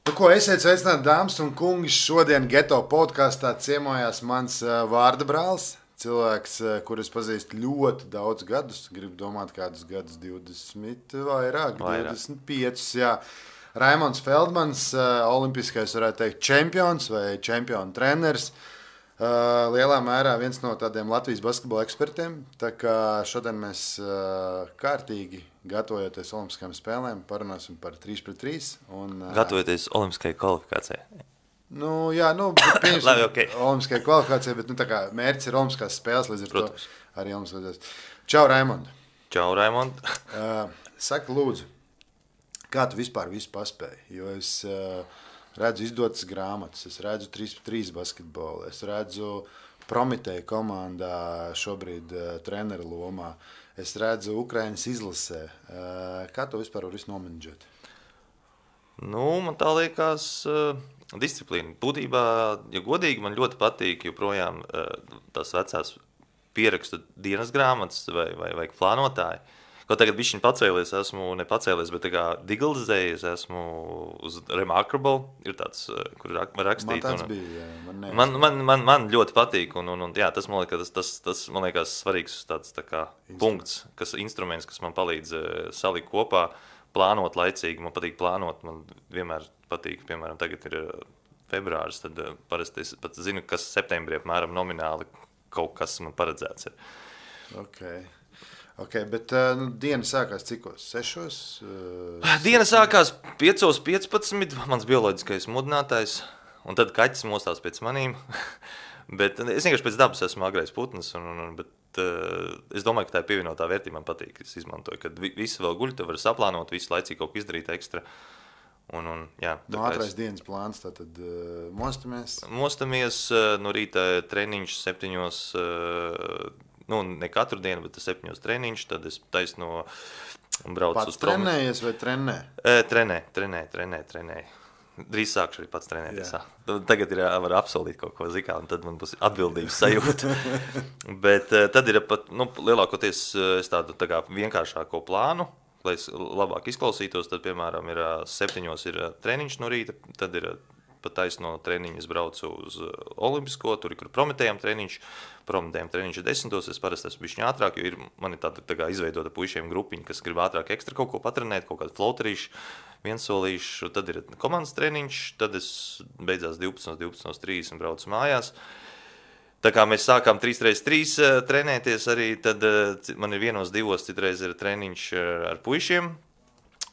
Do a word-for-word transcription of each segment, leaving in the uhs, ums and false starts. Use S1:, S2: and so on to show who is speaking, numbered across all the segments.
S1: Nu, ko esiet sveicināti, dāmas un kungi. Šodien Geto podkāstā ciemojās mans uh, vārda brālis. Cilvēks, uh, kurus pazīstu ļoti daudz gadus. Gribu domāt, kādus gadus, divdesmit, vairāk,
S2: vairāk.
S1: divdesmit piecus. Jā. Raimonds Feldmans, uh, olimpiskais, varētu teikt, čempions vai čempionu treneris. Uh, lielā mērā viens no tādiem Latvijas basketbola ekspertiem. Tā kā šodien mēs uh, kārtīgi gatavojoties Olimpiskajām spēlēm, parunāsim par trīs pret trīs. Un, uh,
S2: Gatavoties Olimpiskajai kvalifikācijai.
S1: Nu, jā, nu, pieņemsim
S2: Labi, okay.
S1: Olimpiskajai kvalifikācijai, bet nu, tā kā mērķis ir Olimpiskās spēles, līdz ar
S2: Protams.
S1: to arī Olimpiskās. Čau, Raimond.
S2: Čau, Raimond.
S1: uh, Saka, lūdzu, kā tu vispār visu paspēji? Jo es uh, redzu izdotas grāmatas, es redzu trīs pret trīs basketbolu, es redzu Prometēja komandā šobrīd uh, treneru lomā, es redzu Ukrainas izlasē. Uh, kā tu vispār var visu nomenedžēt?
S2: Nu, man tā liekas uh, disciplīna. Būtībā, ja godīgi, man ļoti patīk joprojām uh, tās vecās pierakstu dienas grāmatas vai, vai, vai plānotāji. Ko tagad bišķiņ pacēlies, esmu ne pacēlies, bet tā kā digitalizējies, esmu uz Remarkable, ir tāds, kur var rakstīt.
S1: Man tāds
S2: un,
S1: bija, jā, man,
S2: man, man, man, man ļoti patīk, un, un, un jā, tas man liekas, tas, tas, tas, man liekas svarīgs tāds tā kā punkts, kas instruments, kas man palīdz salikt kopā, plānot laicīgi, man patīk plānot, man vienmēr patīk, piemēram, tagad ir februāris, tad parasti es pat zinu, kas septembrī apmēram nomināli kaut kas man paredzēts ir.
S1: Okay. Okay, bet nu, diena sākās cikos? Sešos? Uh,
S2: diena sākās piecos piecpadsmit, mans bioloģiskais mudinātājs, un tad kaķis mostās pēc manīm. bet es vienkārši pēc dabas esmu agrais putns, un, un, bet uh, es domāju, ka tā ir pievienotā vērtība man patīk. Es izmantoju, kad vi, visi vēl guļ, tu vari saplānot, visu laicīgi kaut ko izdarīt ekstra. Un, un, jā,
S1: no ātrais es... dienas plāns, tātad uh, mostamies?
S2: Mostamies, uh, no rīta treniņš septiņos, uh, nu, ne katru dienu, bet septiņos treniņš, tad es taisno braucu
S1: pats
S2: uz promi.
S1: Pats trenējies vai trenē?
S2: E, trenē, trenē, trenē, trenē. Drīz sākšu arī pats trenēties. Tagad ir var apsolīt kaut ko zikā, un tad man būs atbildības sajūta. bet tad ir pat, nu, lielākoties es tādu tā kā vienkāršāko plānu, lai es labāk izklausītos, tad, piemēram, ir septiņos ir treniņš no rīta, tad ir pat taisno treniņu es braucu uz Olimpisko, tur ir, kur Prometējam treniņš, Prometējam treniņš ir desmitos, es parasti esmu bišķiņ ātrāk, jo ir man ir tāda tā kā izveidota puišiem grupiņa, kas grib ātrāk ekstra kaut ko patrenēt, kaut kādu floterīšu, viensolīšu, tad ir komandas treniņš, tad es beidzās divpadsmit, divpadsmit trīsdesmit braucu mājās. Tā kā mēs sākām trīs pret trīs trenēties arī, tad man ir vienos divos, citreiz ir treniņš ar puišiem,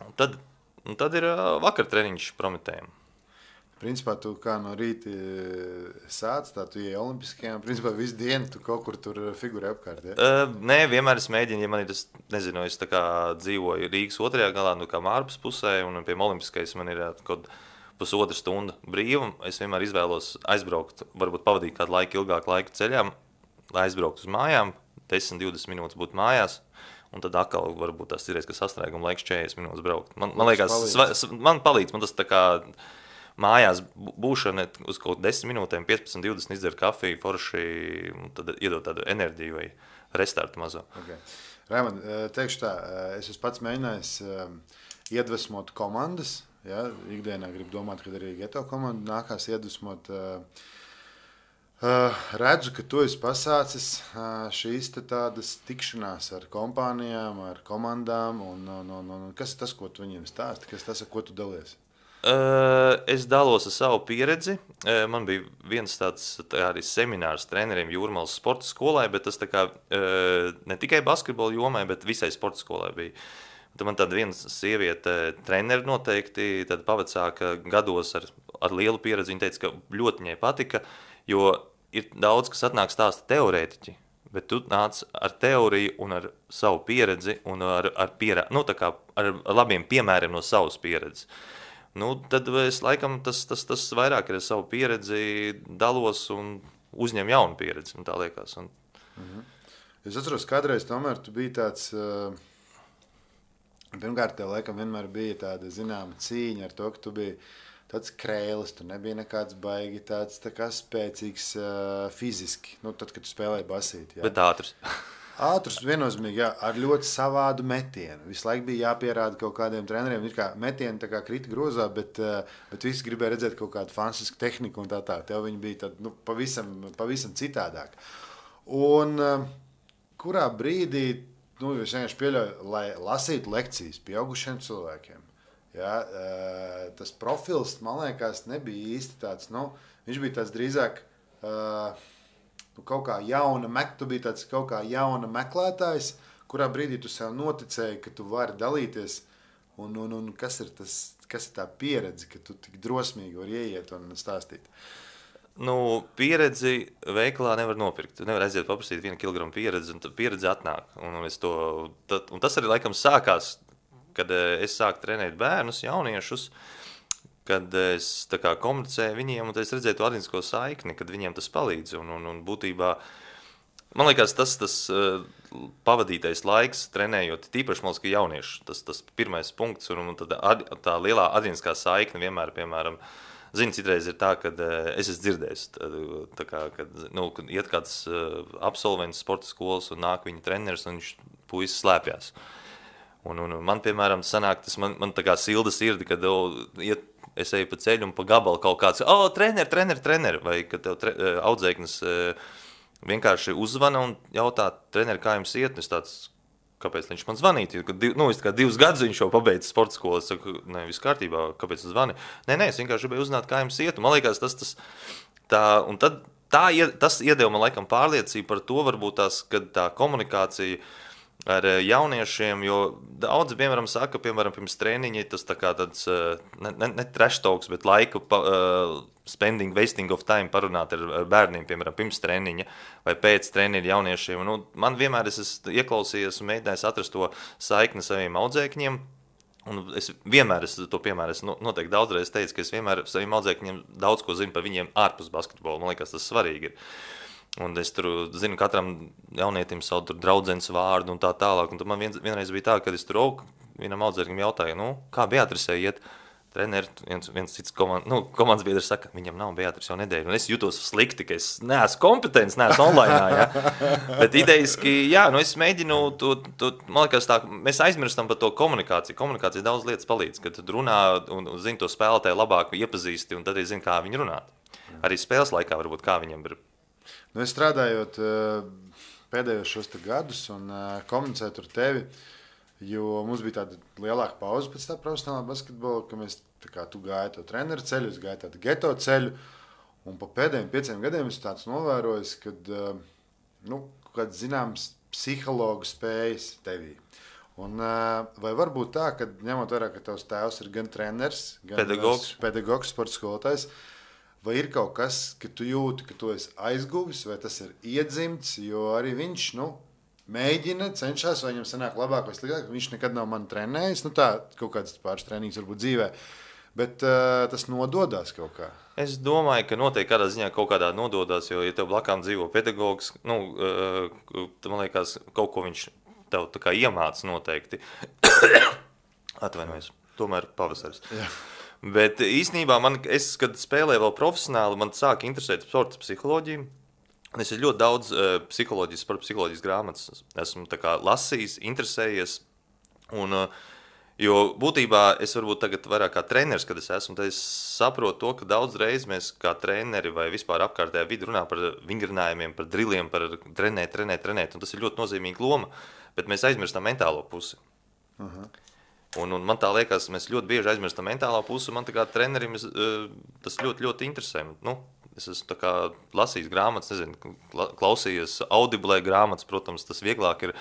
S2: un tad, un tad ir vakar treniņš Prometējam.
S1: Principā tu kā no rīta sāc, tā tu ieej Olimpiskajām, principā visu dienu tu kaut kur tur figurē apkārt, ja?
S2: Uh, nē, vienmēr es mēģinu, ja man ir tas, nezinu, es tā kā dzīvoju Rīgas otrajā galā, nu kā Mārpas pusē, un pie Olimpiskais man ir kaut pusotra stunda brīva, es vienmēr izvēlos aizbraukt, varbūt pavadīt kādu laiku ilgāku laiku ceļām, lai aizbraukt uz mājām, desmit divdesmit minūtes būt mājās, un tad atkal varbūt tās ir, ka sastrēguma laiks četrdesmit minūtes braukt. Man, man liekas, palīdz. Man palīdz, man tas tā kā mājās būšana uz kaut desmit minūtēm, piecpadsmit divdesmit izdzer kafiju, forši, tad iedod tādu enerģiju vai restartu mazo.
S1: Okay. Raimond, teikšu tā, es esmu pats mēģinājis iedvesmot komandas, ja? Ikdienā gribu domāt, kad arī Geto komanda nākās iedvesmot. Redzu, ka tu esi pasācis šīs tādas tikšanās ar kompānijām, ar komandām, un, un, un, un kas ir tas, ko tu viņiem stāsti, kas tas, ar ko tu dalies?
S2: Es dalos ar savu pieredzi. Man bija viens tāds tā arī seminārs treneriem Jūrmalas sporta skolai, bet tas tā kā ne tikai basketbola jomai, bet visai sporta skolai bija. Tad man tāda viena sieviete treneri noteikti, tad pavecāka gados ar, ar lielu pieredzi. Viņa teica, ka ļoti viņai patika, jo ir daudz, kas atnāk stāsta teorētiķi, bet tu nāc ar teoriju un ar savu pieredzi un ar, ar, pierā, nu, tā kā ar labiem piemēriem no savas pieredzes. Nu, tad es laikam tas, tas, tas vairāk ir ar savu pieredzi dalos un uzņem jaunu pieredzi, un tā liekas. Un...
S1: Mhm. Es atceros, kādreiz tomēr tu biji tāds, uh, pirmkārt tev laikam vienmēr bija tāda zināma cīņa ar to, ka tu biji tāds krēlis, tu nebija nekāds baigi, tāds tā kā spēcīgs uh, fiziski, nu, tad, kad tu spēlēji basīt. Jā.
S2: Bet ātrs.
S1: Ātrs, viennozīmīgi, jā, ar ļoti savādu metienu. Visu laiku bija jāpierāda kaut kādiem treneriem. Ir kā metieni tā kā krita grozā, bet, bet visi gribēja redzēt kaut kādu fantastisku tehniku un tā tā. Tev viņi bija tad, nu, pavisam, pavisam citādāk. Un kurā brīdī, nu, es vienkārši pieļauju, lai lasītu lekcijas pieaugušiem cilvēkiem. Ja, tas profils, man liekas, nebija īsti tāds, nu, viņš bija tāds drīzāk nu, kaut kā jauna, tu biji tāds kaut kā jauna meklētājs, kurā brīdī tu sev noticēji, ka tu vari dalīties, un, un, un kas ir tas, kas ir tā pieredze, ka tu tik drosmīgi vari ieiet un stāstīt?
S2: Nu, pieredzi veikalā nevar nopirkt. Tu nevar aiziet paprasīt vienu kilogramu pieredzi, un pieredze atnāk. Un, un, to, tad, un tas arī laikam sākās, kad es sāku trenēt bērnus, jauniešus, kad es tā kā komunicēju viņiem, un es redzēju to atzinsko saikni, kad viņiem tas palīdz. Un, un, un būtībā, man liekas, tas, tas uh, pavadītais laiks trenējot, tīpaši, man liekas, ka jaunieši, tas, tas pirmais punkts, un, un tad ad, tā lielā atzinskā saikne vienmēr, piemēram, zini, citreiz ir tā, kad uh, es esmu dzirdējis, tā, tā kā, kad, nu, kad iet kāds uh, absolvents sporta skolas un nāk viņa treneris, un viņš puisis slēpjās. Un, un man, piemēram, sanāk, tas man, man tā kā silda sirdi, kad o, iet, es eju pa ceļu un pa gabalu kaut kāds, o, trener, trener, trener, vai kad tev tre, audzēknis vienkārši uzvana un jautā, trener, kā jums iet, un es tāds, kāpēc viņš man zvanīja, kad div, nu, es kā divus gadus viņš jau pabeidz sporta skolu, es saku, ne, viss kārtībā, kāpēc es zvani? Nē, nē, es vienkārši gribēju uzzināt, kā jums iet, un man liekas, tas, tas, tā, un tad tā, tas iedeva man laikam pārliecību par to, varbūt tās, kad tā komunikācija ar jauniešiem, jo daudzi, piemēram, saka, piemēram, pirms trēniņa, tas tā kā tāds, ne, ne, ne trash talks, bet laika uh, spending, wasting of time parunāt ar, ar bērniem, piemēram, pirms trēniņa vai pēc trēniņa jauniešiem. Nu, man vienmēr es esmu ieklausījies un mēģinājis atrast to saikni saviem audzēkņiem, un es vienmēr, es to piemēru, es noteikti daudzreiz teicu, ka es vienmēr saviem audzēkņiem daudz ko zinu par viņiem ārpus basketbola, man liekas, tas svarīgi ir. Un es tur zinu, katram jaunietim savu tur draudzenes vārdu un tā tālāk. Un tad man vien, vienreiz bija tā, kad es tur aug, vienam audzēknim jautāju, nu, kā Beatrisē iet? Treneri, viens, viens cits komand, nu, komandas biedrs saka, viņam nav Beatris jau nedēļu. Un es jūtos slikti, ka es neesmu kompetents, neesmu online. Ja? Bet idejiski, jā, nu es mēģinu, to, to, man liekas tā, mēs aizmirstam par to komunikāciju. Komunikācija daudz lietas palīdz, kad tu runā un, un zini to spēlētāju labāk iepazīsti un tad arī zini, kā viņi runāt. Arī spēles laikā varbūt kā viņam ir.
S1: Nu, es strādājot pēdējos šos gadus un komunicēt ar tevi, jo mums bija tāda lielāka pauze pēc tā profesionālā basketbola, ka mēs, tā kā tu gāji to treneru ceļu, es gāju tādu geto ceļu, un pa pēdējiem pieciem gadiem es tāds novērojis, kad, nu, kāds zināms psihologu spējas tevī. Un vai var būt tā, ka ņemot vērā, ka tavs tēvs ir gan treneris, gan
S2: pedagogs,
S1: pedagogs sporta skolotājs, vai ir kaut kas, ka tu jūti, ka tu esi aizguvis, vai tas ir iedzimts, jo arī viņš, nu, mēģina, cenšas, vai viņam sanāk labāk vai sliktāk, viņš nekad nav mani trenējis, nu tā, kaut kāds pāris treniņas varbūt dzīvē, bet uh, tas nododās kaut kā.
S2: Es domāju, ka noteikti kādā ziņā kaut kādā nododās, jo, ja tev blakām dzīvo pedagogs, nu, uh, man liekas, kaut ko viņš tev tā kā iemāc noteikti. Atvainojies, tomēr pavasaris. Jā. Bet īstenībā, man, es, kad spēlēju vēl profesionāli, man sāka interesēt sporta psiholoģiju. Es ir ļoti daudz uh, psiholoģijas, sporta psiholoģijas grāmatas esmu tā kā lasījis, interesējies. Un, uh, jo būtībā es varbūt tagad vairāk kā treneris, kad es esmu, tad es saprotu to, ka daudz reiz mēs kā treneri vai vispār apkārtējā vidi runā par vingrinājumiem, par driliem, par trenēt, trenēt, trenēt. Un tas ir ļoti nozīmīga loma, bet mēs aizmirstam mentālo pusi. Uh-huh. Un, un man tā liekas, mēs ļoti bieži aizmirstam mentālā pusi, man tā kā trenerim es, tas ļoti, ļoti interesē. Nu, es esmu tā kā lasījis grāmatas, nezinu, klausījies audiblē grāmatas, protams, tas vieglāk ir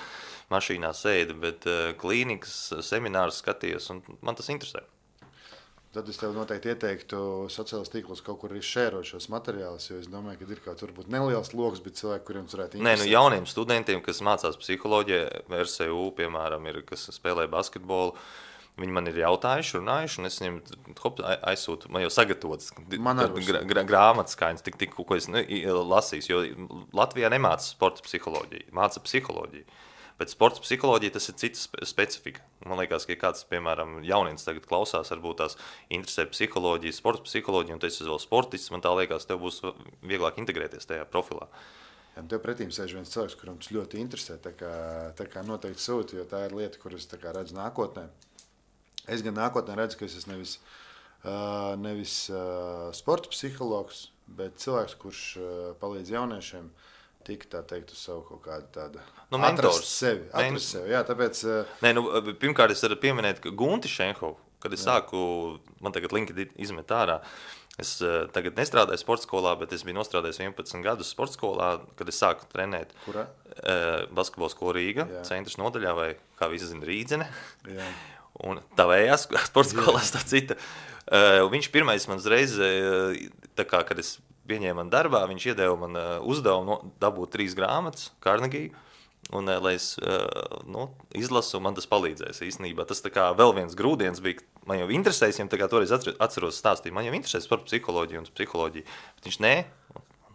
S2: mašīnā sēdi, bet klīnikas, seminārus skaties, un man tas interesē.
S1: Tad es tev noteikti ieteiktu sociālos tīklos kaut kur arī šērot šos materiālus, jo es domāju, ka ir kaut varbūt neliels loks, bet cilvēki, kuriem varētu interesēt.
S2: Nē, nu jauniem studentiem, kas mācās psiholoģiju, R S U, piemēram, ir, kas spēlē basketbolu, viņi man ir jautājuši, runājuši, un es viņiem hop, aizsūtu, man jau sagatavots gra, gra, grāmatas, kā viņas tik, tik, ko es nu, lasīs, jo Latvijā nemāca sporta psiholoģiju, māca psiholoģiju. Bet sports psiholoģija tas ir cita specifika. Man liekas, ka ja kāds, piemēram, jauniens tagad klausās, varbūt tās interesē psiholoģija, sports psiholoģija, un tu esi vēl sportists, man tā liekas, tev būs vieglāk integrēties tajā profilā.
S1: Ja, tev pretīm sēž viens cilvēks, kuram tas ļoti interesē, tā kā, tā kā noteikti sūti, jo tā ir lieta, kuras tā kā redzu nākotnē. Es gan nākotnē redzu, ka es esmu nevis, uh, nevis uh, sporta psihologs, bet cilvēks, kurš uh, palīdz jauniešiem tik tā teikt uz savu kaut kādu tādu
S2: Nu,
S1: atrast
S2: mentors.
S1: sevi. Atrast sevi, jā, tāpēc... Uh,
S2: Nē, nu, pirmkārt, es varu pieminēt Gunti Šenhovu, kad es jā. sāku, man tagad LinkedIn izmet ārā. Es uh, tagad nestrādāju sporta skolā, bet es biju nostrādājis vienpadsmit gadus sporta skolā, kad es sāku trenēt.
S1: Kurā?
S2: Uh, basketbola skola Rīga, jā. Centrs nodaļā, vai kā visi zina, Rīdzene.
S1: Jā.
S2: Un tā vējās sporta skolā tā cita. Uh, viņš pirmais man uzreiz, uh, tā kā, kad es pieņēmu man darbā, viņš iedeva man uh, uzdevumu no, dabūt trīs grāmatas, Carnegie. Un, lai es nu, izlasu, man tas palīdzēs īstenībā. Tas tā kā vēl viens grūdienis bija, man jau interesēs, viņam tā kā toreiz atceros stāstīt, man jau interesēs par psiholoģiju un psiholoģiju, bet viņš nē.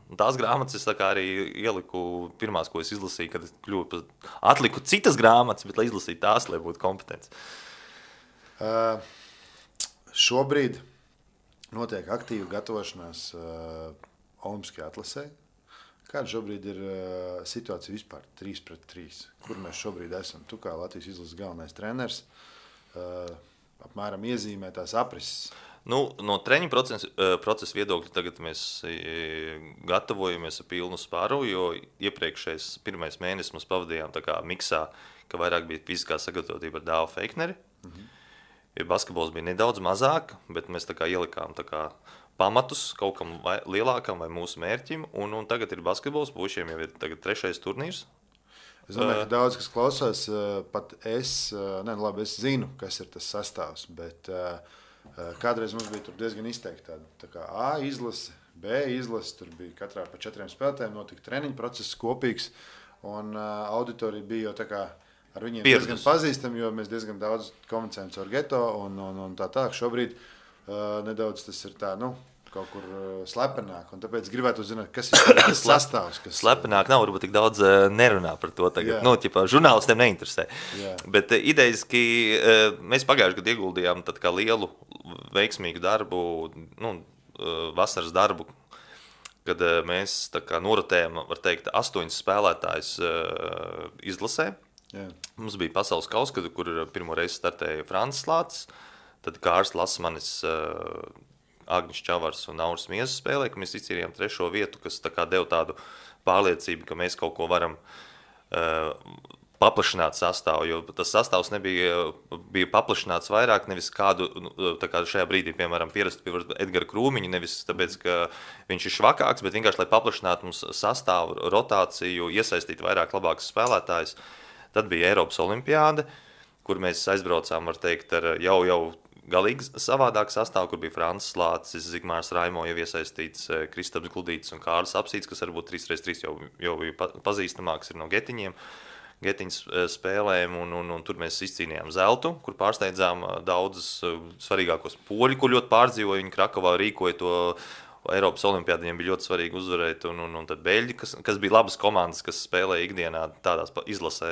S2: Un tās grāmatas es tā kā arī ieliku pirmās, ko es izlasīju, kad es kļuvu par atliku citas grāmatas, bet lai izlasītu tās, lai būtu kompetents.
S1: Uh, šobrīd notiek aktīva gatavošanās uh, olimpiskajā atlasē. Kāda šobrīd ir uh, situācija vispār trīs pret trīs? Kur mēs šobrīd esam? Tu kā Latvijas izlases galvenais treneris uh, apmēram iezīmē tās aprises.
S2: Nu, no treņu procesa, procesa viedokļa tagad mēs gatavojamies ar pilnu spāru, jo iepriekšējais pirmais mēnesis mums pavadījām tā kā miksā, ka vairāk bija fiziskā sagatavotība ar Dāvu Feikneri. Mhm. Basketbols bija nedaudz mazāk, bet mēs tā kā ielikām tā kā pamatus kaut kam vai, lielākam vai mūsu mērķim, un, un tagad ir basketbols, puišiem jau ir tagad trešais turnīrs.
S1: Es domāju, ka daudz, kas klausās, pat es, ne, labi, es zinu, kas ir tas sastāvs, bet kādreiz mums bija tur diezgan izteikti tāda, tā kā A izlase, B izlase, tur bija katrā pa četriem spēlētājiem, notika treniņu process kopīgs, un auditorija bija jau tā kā ar viņiem Pieredus. Diezgan pazīstami, jo mēs diezgan daudz komunicējam caur geto un, un, un tā tā. Šobrīd uh, nedaudz tas ir tā, nu, kaut kur uh, slepenāk, un tāpēc gribētu zināt, kas ir tas sastāvs. Kas...
S2: Slepenāk nav, varbūt tik daudz uh, nerunā par to tagad. Jā. Nu, ķipā, žurnālistiem neinteresē. Jā. Bet uh, idejiski uh, mēs pagājuši gadu ieguldījām tad kā lielu veiksmīgu darbu, nu, uh, vasaras darbu, kad uh, mēs tā kā norotējam, var teikt, astoņus spēlētājus uh, izlasē. Jā. Mums bija pasaules kauss, kur pirmo reizi startēja Francis Lācis, tad Kārs Lasmanis, uh, Agnis Čavars un Nauris Miezas spēlē, ka mēs izcīnījām trešo vietu, kas tā kā deva tādu pārliecību, ka mēs kaut ko varam uh, paplašināt sastāvu, jo tas sastāvs nebija bija paplašināts vairāk, nevis kādu, tā kā šajā brīdī, piemēram, pierastu pie Edgara Krūmiņa, nevis tāpēc, ka viņš ir švakāks, bet vienkārši, lai paplašinātu mums sastāvu, rotāciju, iesaistīt vairāk labākus spēlētājus. Tad bija Eiropas olimpiāde, kur mēs aizbraucām, var teikt, ar jau, jau galīgi savādāku sastāvu, kur bija Francis Lācis, Zigmārs Raimo jau iesaistīts, Kristaps Gludītis un Kārlis Apsīts, kas varbūt trīs pret trīs jau, jau pazīstamāks ir no Getiņiem, Getiņas spēlēm, un, un, un tur mēs izcīnījām zeltu, kur pārsteidzām daudzus svarīgākos poļu, kur ļoti pārdzīvoja, viņi Krakovā rīkoja to Eiropas olimpiādi, viņiem bija ļoti svarīgi uzvarēt, un, un, un tad beļģi, kas, kas bija labas komandas, kas spēlēja ikdienā tādās izlasē,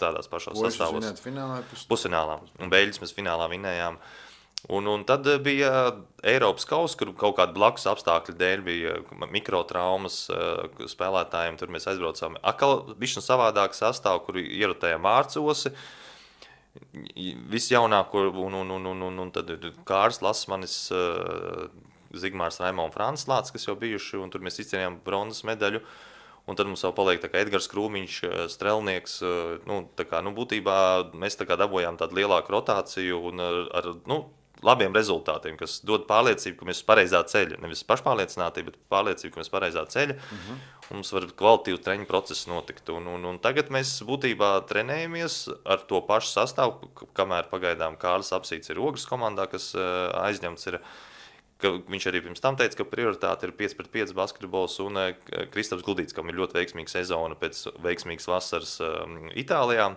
S2: tādās pašās sastāvos.
S1: Poļus finālā? Pus...
S2: Pusfinālā. Un beļģis mēs finālā vinējām. Un, un tad bija Eiropas kauss, kur kaut kāda blakus apstākļu dēļ bija mikrotraumas spēlētājiem. Tur mēs aizbraucām atkal bišķi savādāk sastāvu, kur ierotējām Mārcosi, visjaunāko, un, un, un, un, un, un tad Kārs Lasmanis, Zigmārs Raimo un Francis Lācis, kas jau bijuši, un tur mēs izcīnījām bronzas medaļu. Un tad mums vēl paliek tā kā Edgars Krūmiņš, strelnieks. Nu, tā kā, nu, būtībā mēs tā kā dabojām tādu lielāku rotāciju un ar, ar nu, labiem rezultātiem, kas dod pārliecību, ka mēs pareizā ceļa. Nevis pašpārliecinātība, bet pārliecība, ka mēs pareizā ceļa. Uh-huh. Un mums var kvalitīvu treņu procesu notikt. Un, un, un tagad mēs būtībā trenējamies ar to pašu sastāvu, kamēr pagaidām Kārlis Apsīts ir Ogres komandā, kas aizņemts ir. Viņš arī pirms tam teica, ka prioritāte ir pieci pret pieci basketbols un Kristaps Gludītis, kam ir ļoti veiksmīga sezona pēc veiksmīgas vasaras um, Itālijā.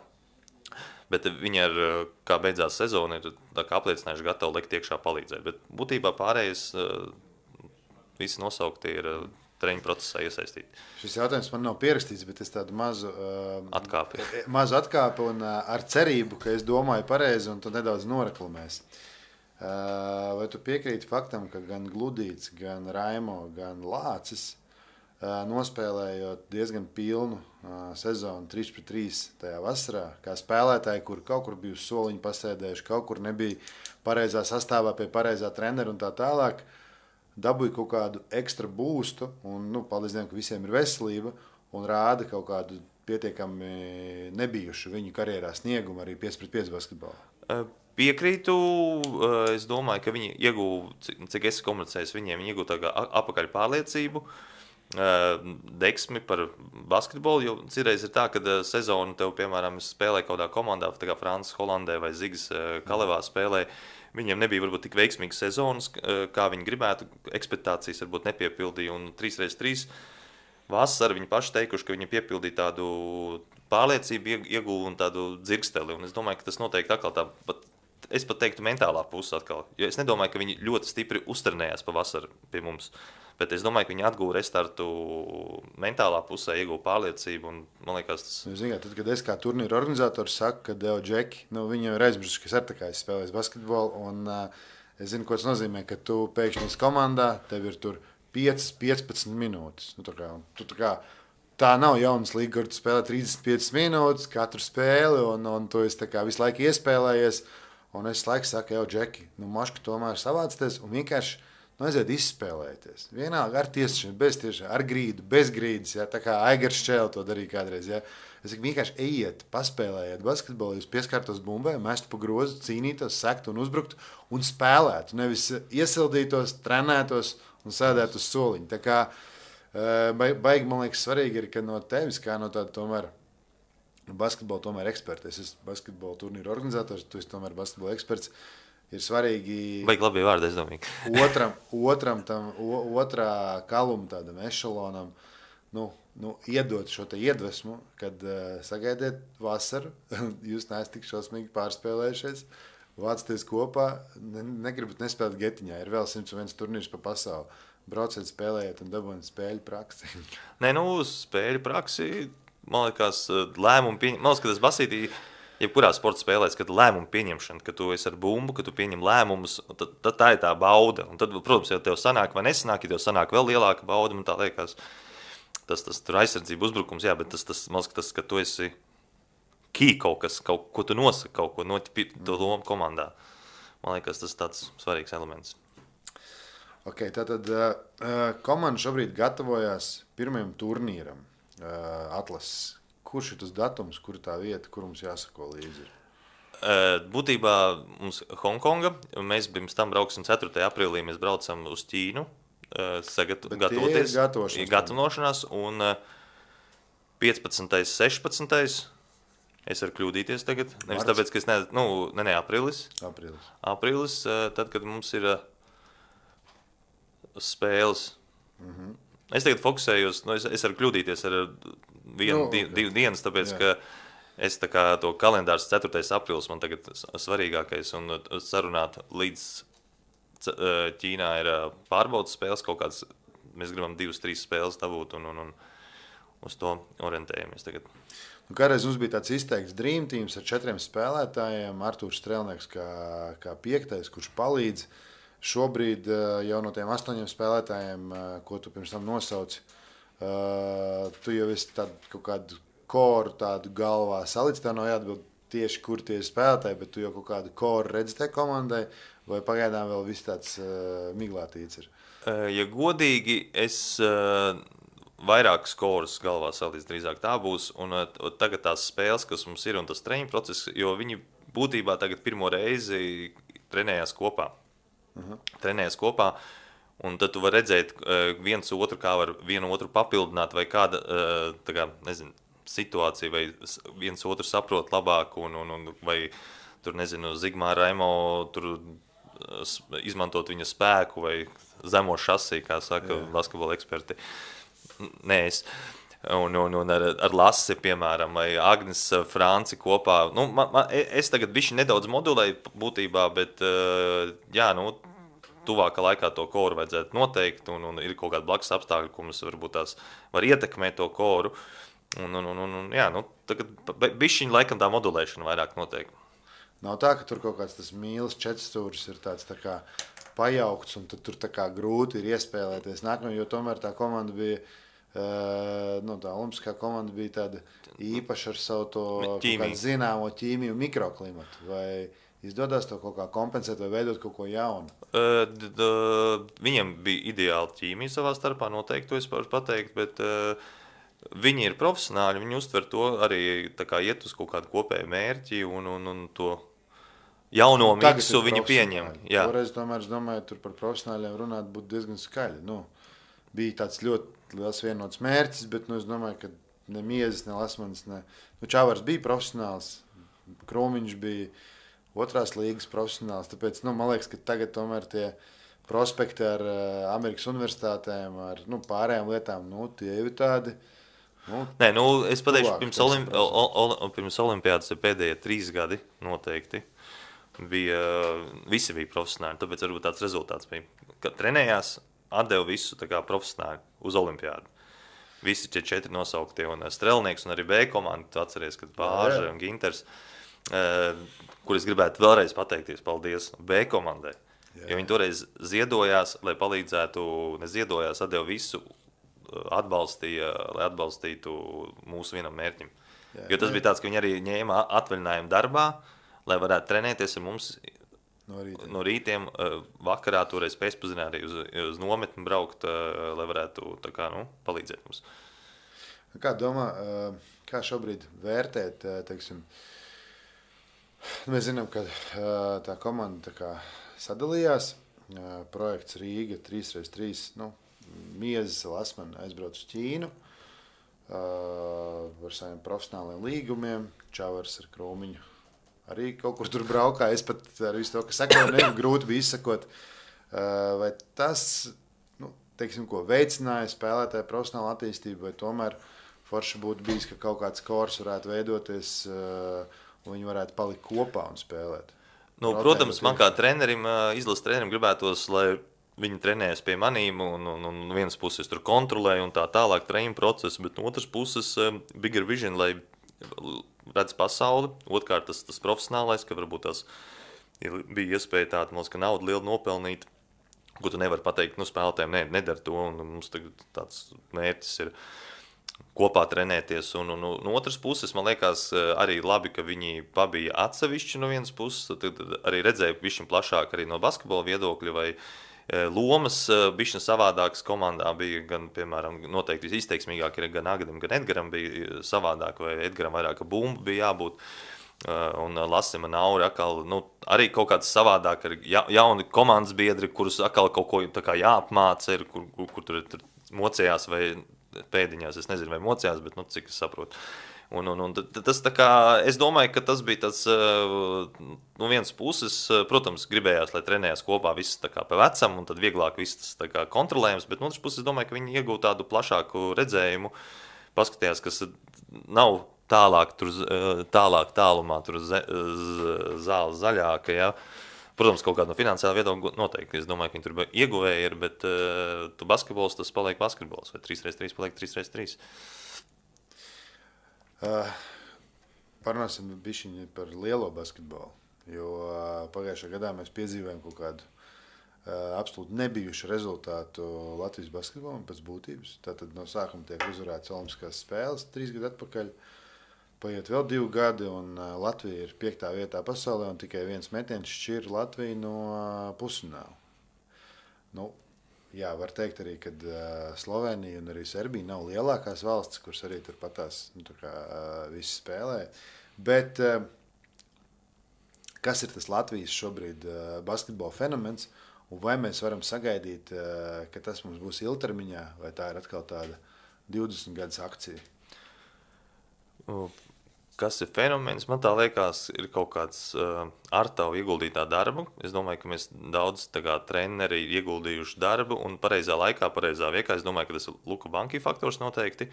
S2: Bet viņi ar, kā beidzās sezona, ir apliecinājuši gatavi likt iekšā palīdzēt. Bet būtībā pārējais uh, visi nosaukti ir uh, treņu procesā iesaistīti.
S1: Šis jautājums man nav pierakstīts, bet es tādu mazu uh,
S2: atkāpi.
S1: mazu atkāpi un uh, ar cerību, ka es domāju pareizi un tu nedaudz noreklamēs. Vai tu piekrīti faktam, ka gan Gludīts, gan Raimo, gan Lācis nospēlējot diezgan pilnu sezonu trīs pret trīs tajā vasarā, kā spēlētāji, kur kaut kur bija uz soliņu pasēdējuši, kaut kur nebija pareizā sastāvā pie pareizā trenera un tā tālāk, dabūja kaut kādu ekstra būstu, un, nu, paldies Dievam, ka visiem ir veselība, un rāda kaut kādu pietiekami nebijušu viņu karjerā sniegumu arī pieci pret pieci basketbolā.
S2: Piekrītu, es domāju, ka viņi ieguva, cik es komunicēju, viņiem viņi ieguva tā kā apakaļ pārliecību, deksmi par basketbolu, jo citreiz ir tā, ka sezonu tev, piemēram, spēlē kaut kādā komandā, tā kā Francis Holandē vai Zigis Kalevā spēlē, viņiem nebija varbūt tik veiksmīgas sezonas, kā viņi gribētu, ekspektācijas varbūt nepiepildīja, un trīs reiz trīs vasarā viņi paši teikuši, ka viņi piepildīja tādu pārliecību, ieguva un tādu dzirksteli, un es domāju, ka tas noteikti atkal tā, pat, es pat teiktu mentālā puse atkal, jo es nedomāju, ka viņi ļoti stipri uztrenējās pa vasaru pie mums. Bet es domāju, ka viņi atguva restartu mentālā pusē, ieguva pārliecību. Un, man liekas, tas...
S1: Ziniet, tad, kad es kā turnīra organizators saku, ka Deo Džeki, nu, viņi jau ir aizmirsuši, ka es ar tā kā spēlēju basketbolu. Un uh, es zinu, ko tas nozīmē, ka tu pēkšņi esi komandā, tev ir tur piecas, piecpadsmit minūtes. Nu, tā, kā, tu, tā, kā, tā nav jaunas līga, kur tu spēlē trīsdesmit piecas minūtes katru spēli, un, un tu esi tā kā visu laiku iespēlējies. Un es laiku saku, jau Džeki, nu, maška tomēr savācties un vienkārši nu, aiziet izspēlēties. Vienalga ar tiesāšanu, bez tiešām, ar grīdu, bez grīdas. Ja? Tā kā Aigars Čēle to darīja kādreiz. Ja? Es saku, vienkārši ejiet, paspēlējiet basketbolu, jūs pieskārtos bumbai, mestu pa grozu, cīnītos, sektu un uzbruktu un spēlētu. Nevis iesildītos, trenētos un sēdētu uz soliņa. Tā kā baigi, man liekas, svarīgi ir, ka no tevis, kā no tāda tomēr basketbola tomēr eksperta, es esmu basketbola turnīra organizators, tu esi tomēr basketbola eksperts, ir svarīgi
S2: Baigi labi vārdi, es domāju.
S1: otram, otram tam, o, otrā kaluma tādam ešalonam, nu, nu, iedot šo te iedvesmu, kad uh, sagaidiet vasaru, jūs neesat tik šausmīgi pārspēlējušies, vācaties kopā, ne, negribat nespēlēt getiņā, ir vēl simts viens turnīrs pa pasauli. Brauciet, spēlējiet un dabūjiet spēļu praksi.
S2: Nē, nu, spēļu praksi, man liekas, lēmumu pieņem, man liekas, ka tas basītī, jebkurā sporta spēlēs, kad lēmumu pieņemšana, ka tu esi ar bumbu, ka tu pieņem lēmumus, tad, tad tā ir tā bauda. Un tad, protams, ja tev sanāk vai nesanāk, ja tev sanāk vēl lielāka bauda, man tā liekas, tas, tas tur aizsardzība uzbrukums, jā, bet tas, tas, man liekas, tas, ka tu esi key kaut kas, kaut ko tu nosaki, kaut ko notipi to lomu komandā. Man liekas, tas ir tāds svarīgs elements.
S1: Ok, tātad uh, komanda šobrīd gatavojās pirmajam turnīram uh, atlases. Kurš ir tas datums, kur tā vieta, kur mums jāsako līdzi?
S2: Būtībā mums Hongkonga, mēs pirms tam brauksim ceturtajā aprīlī, mēs braucam uz Ķīnu, sagat, gatavoties, gatavošanās, un piecpadsmitais, sešpadsmitais es varu kļūdīties tagad, nevis tāpēc, ka es ne, nu, ne, ne, aprīlis,
S1: aprīlis,
S2: aprīlis, tad, kad mums ir spēles. Mhm. Es tagad fokusējos, nu, es, es varu kļūdīties ar vienu, no, okay. divu dienas, tāpēc, Jā. ka es tā kā to kalendārs ceturtais aprīlis man tagad svarīgākais, un sarunāt līdz Ķīnā ir pārbaudas spēles, kaut kāds, mēs gribam divas, trīs spēles dabūt, un, un, un uz to orientējamies tagad.
S1: Nu, kādreiz mums bija tāds izteikts Dream Teams ar četriem spēlētājiem, Artūrs Strelnieks kā, kā piektais, kurš palīdz. Šobrīd jau no tiem astoņiem spēlētājiem, ko tu pirms tam nosauci, tu jau esi tādu kaut kādu koru tādu galvā salicis, tev nav jāatbild tieši, kur tie ir spēlētāji, bet tu jau kaut kādu koru redzi tai komandai, vai pagaidām vēl viss tāds miglātīts ir?
S2: Ja godīgi, es vairākas korus galvā salicis drīzāk tā būs, un tagad tās spēles, kas mums ir, un tas treniņu process, jo viņi būtībā tagad pirmo reizi trenējās kopā. Uh-huh. Trenējas kopā, un tad tu vari redzēt uh, viens otru, kā var vienu otru papildināt, vai kāda uh, tā kā, nezinu, situācija, vai viens otru saprot labāk, un, un, un vai tur, nezinu, Zigmā Raimo tur uh, izmantot viņa spēku, vai zemo šasī, kā saka Jā. Basketbola eksperti. Nē, es. Un, un, un ar, ar Lasi, piemēram, vai Agnes Franci kopā. Nu, man, man, es tagad bišķi nedaudz modulēju būtībā, bet jā, nu, tuvākā laikā to koru vajadzētu noteikt, un, un ir kaut kādi blakus apstākļi, ko mums varbūt tās var ietekmēt to koru. Un, un, un, un jā, nu, tagad bišķiņ laikam tā modulēšana vairāk noteikti.
S1: Nav tā, ka tur kaut kāds tas mīlis četrstūris ir tāds tā kā pajaukts, un tad tur tā kā grūti ir iespēlēties nākamajā, jo tomēr tā komanda bija Uh, nu, tā olimpiskā komanda bija tāda īpaša ar savu to
S2: Ķīmiju.
S1: zināmo ķīmiju un mikroklimatu. Vai izdodas to kaut kā kompensēt vai veidot kaut ko jaunu?
S2: Uh, d, d, viņiem bija ideāla ķīmija savā starpā, noteikti to es varu pateikt, bet uh, viņi ir profesionāļi, viņi uztver to arī tā kā iet uz kaut kādu kopēju mērķi un, un, un to jauno
S1: Nu, tagad
S2: miksu
S1: ir
S2: viņi pieņem. Jā.
S1: Toreiz, tomēr, es domāju, tur par profesionāļiem runāt būtu diezgan skaļi. Nu, bija tāds ļoti liels vienots mērķis, bet nu, es domāju, ka ne Miezis, ne Lasmanis, ne nu, Čavars bija profesionāls, Krūmiņš bija otrās līgas profesionāls, tāpēc, nu, man liekas, ka tagad tomēr tie prospekti ar uh, Amerikas universitātēm, ar nu, pārējām lietām, nu, tie ir tādi. Nu,
S2: Nē, nu, es pateikšu,
S1: tuvāk,
S2: pirms,
S1: teiksim,
S2: olim, o, o, pirms olimpiādas ir pēdējie trīs gadi noteikti. Bija, visi bija profesionāli, tāpēc varbūt tāds rezultāts bija, ka trenējās, atdeva visu tā kā profesionāli uz olimpiādu. Visi tie četri nosauktie un Strelnieks un arī B komanda, tu atceries, kad Bāža un Ginters, uh, kur es gribētu vēlreiz pateikties paldies B komandai, jā. Jo viņi toreiz ziedojās, lai palīdzētu, neziedojās, atdeva visu, atbalstīja, lai atbalstītu mūsu vienam mērķim. Jā, jo tas jā. Bija tāds, ka viņi arī ņēma atvaļinājumu darbā, lai varētu trenēties ar mums
S1: no rītiem,
S2: no rītiem vakarā, toreiz pēcpazienā arī uz, uz nometni braukt, lai varētu tā kā, nu, palīdzēt mums.
S1: Kā domā, kā šobrīd vērtēt, teiksim, mēs zinām, ka tā komanda tā kā sadalījās, projekts Rīga trīs pret trīs, nu, Miezis, Lasmani aizbrauc uz Ķīnu ar saviem profesionāliem līgumiem, Čavars ar Krūmiņu arī kaut kur tur braukā. Es pat ar visu to, ka sekoju, ne, grūti bija izsakot. Vai tas, nu, teiksim, ko veicināja spēlētāju profesionālu attīstību, vai tomēr forši būtu bijis, ka kaut kāds kors varētu veidoties un viņi varētu palikt kopā un spēlēt?
S2: Nu, protams, man kā trenerim, izlases trenerim gribētos, lai viņi trenējas pie manīm, un, un, un vienas puses tur kontrolēja un tā tālāk treniņu procesu, bet no otras puses bigger vision, lai redz pasauli. Otkārt tas, tas profesionālais, ka varbūt tas bija iespēja tāda, mums, ka naudu lielu nopelnīt, ko tu nevari pateikt, nu, spēlētājiem, ne, nedara to, un mums tagad tāds mērķis ir kopā trenēties. Un, un, un no otras puses, man liekas, arī labi, ka viņi pabija atsevišķi no vienas puses, tad arī redzēja višķi plašāk arī no basketbola viedokļa, vai lomas bišķi savādākas komandā bija, gan, piemēram, noteikti izteiksmīgāk ir gan Agadim, gan Edgaram bija savādāk, vai Edgaram vairāk bumbu bija jābūt, un Lasim un Auri atkal, nu, arī kaut kāds savādāk ir ja, jauni komandas biedri, kurus atkal kaut ko tā kā jāapmāca, ir, kur, kur, kur tur, tur mocējās vai pēdiņās, es nezinu, vai mocējās, bet, nu, cik es saprotu. Un, un, un tas tā kā, es domāju, ka tas bija tāds, no vienas puses, protams, gribējās, lai trenējās kopā viss tā kā pa vecam, un tad vieglāk viss tas tā kā kontrolējams, bet no otras puses, es domāju, ka viņi iegūtu tādu plašāku redzējumu, paskatījās, kas nav tālāk, tur, tālāk tālumā, tur zāle zaļāka, ja. Protams, kaut kāda no finansiāla viedokļa noteikti, es domāju, ka viņi tur ieguvēji ir, bet tu basketbols, tas paliek basketbols, vai trīs pret trīs paliek trīs pret trīs.
S1: Uh, parunāsim bišķiņi par lielo basketbolu, jo uh, pagājušā gadā mēs piedzīvējam kaut kādu uh, absolūti nebijušu rezultātu Latvijas basketbolam pēc būtības. Tātad no sākuma tiek uzvarēts olimpiskās spēles trīs gadu atpakaļ, paiet vēl divi gadi, un uh, Latvija ir piektā vietā pasaulē, un tikai viens metiens šķir Latviju no uh, pusfināla. Nu, jā, var teikt arī, ka uh, Slovenija un arī Serbija nav lielākās valstis, kuras arī tur patās, nu, tā kā uh, visi spēlē. Bet uh, kas ir tas Latvijas šobrīd uh, basketbola fenomens, un vai mēs varam sagaidīt, uh, ka tas mums būs ilgtermiņā, vai tā ir atkal tāda divdesmit gadus akcija?
S2: Kas ir fenomens? Man tā liekas, ir kaut kāds uh, ar tavu ieguldītā darbu. Es domāju, ka mēs daudz tā kā treneri ir ieguldījuši darbu un pareizā laikā, pareizā viekā. Es domāju, ka tas ir Luka Banki faktors noteikti.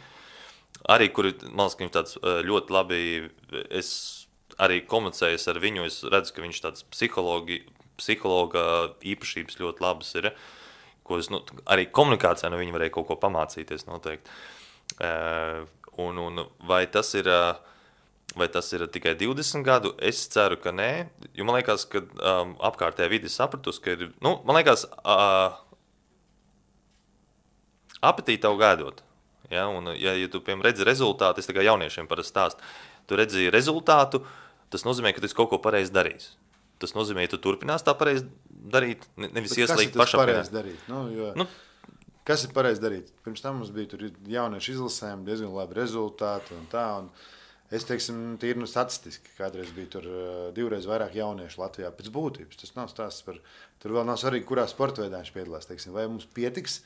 S2: Arī, kur man liekas, ka viņš tāds uh, ļoti labi, es arī komunicēju ar viņu, es redzu, ka viņš tāds psihologi, psihologa īpašības ļoti labas ir, ko es, nu, arī komunikācijā no viņa varēja kaut ko pamācīties noteikti. Uh, un, un vai tas ir... Uh, Vai tas ir tikai divdesmit gadu? Es ceru, ka nē, jo man liekas, ka um, apkārtējā vidi sapratus, ka ir, nu, man liekas, uh, apetīti tev gaidot. Ja? Un, ja, ja tu, piemēram, redzi rezultātu, es tā kā jauniešiem parasti stāstu, tu redzi rezultātu, tas nozīmē, ka tu esi kaut ko pareizi darījis. Tas nozīmē, ka tu turpinās tā pareizi darīt, nevis ieslīgt pašapziņā.
S1: Kas ir darīt? Nu, jo,
S2: nu,
S1: kas ir pareizi darīt? Pirms tam mums bija tur jauniešu izlasēm, diezgan labi rezultāti un tā. Un es teiksim, tīri nu statistiski, kādreiz bija tur uh, divreiz vairāk jauniešu Latvijā pēc būtības. Tas nav stāsts par, tur vēl nav svarīgi, kurā sporta veidā viņš piedalās. Teiksim, vai mums pietiks,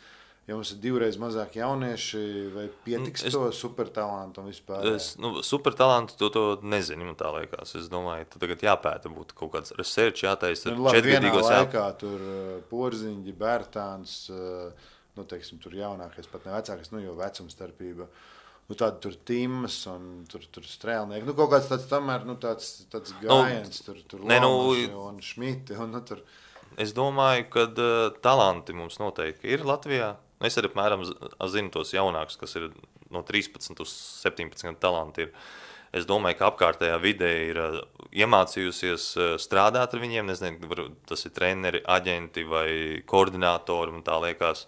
S1: ja mums ir divreiz mazāk jaunieši, vai pietiks es, to supertalantu un vispār?
S2: Es, nu, supertalantu to, to nezinu, man tā liekas. Es domāju, ka tagad jāpēta būtu kaut kāds research, jātaisa
S1: nu, četrgadīgos. Vienā laikā jā... tur uh, Porziņģi, Bērtāns, uh, nu, teiksim, tur jaunākais, pat ne vecākais, nu, jo vecuma starpība. Nu, tādi tur Tims un tur, tur Strēlnieki. Nu, kaut kāds tāds tomēr, nu, tāds, tāds gājiens, nu, tur, tur ne, Lomaši nu, un Šmiti. Un, nu, tur...
S2: Es domāju, ka uh, talanti mums noteikti ir Latvijā. Es arī apmēram zinu tos jaunākus, kas ir no trīspadsmit uz septiņpadsmit talanti ir. Es domāju, ka apkārtējā vidē ir uh, iemācījusies uh, strādāt ar viņiem. Nezinu, var, tas ir treneri, aģenti vai koordinātori, man tā liekas.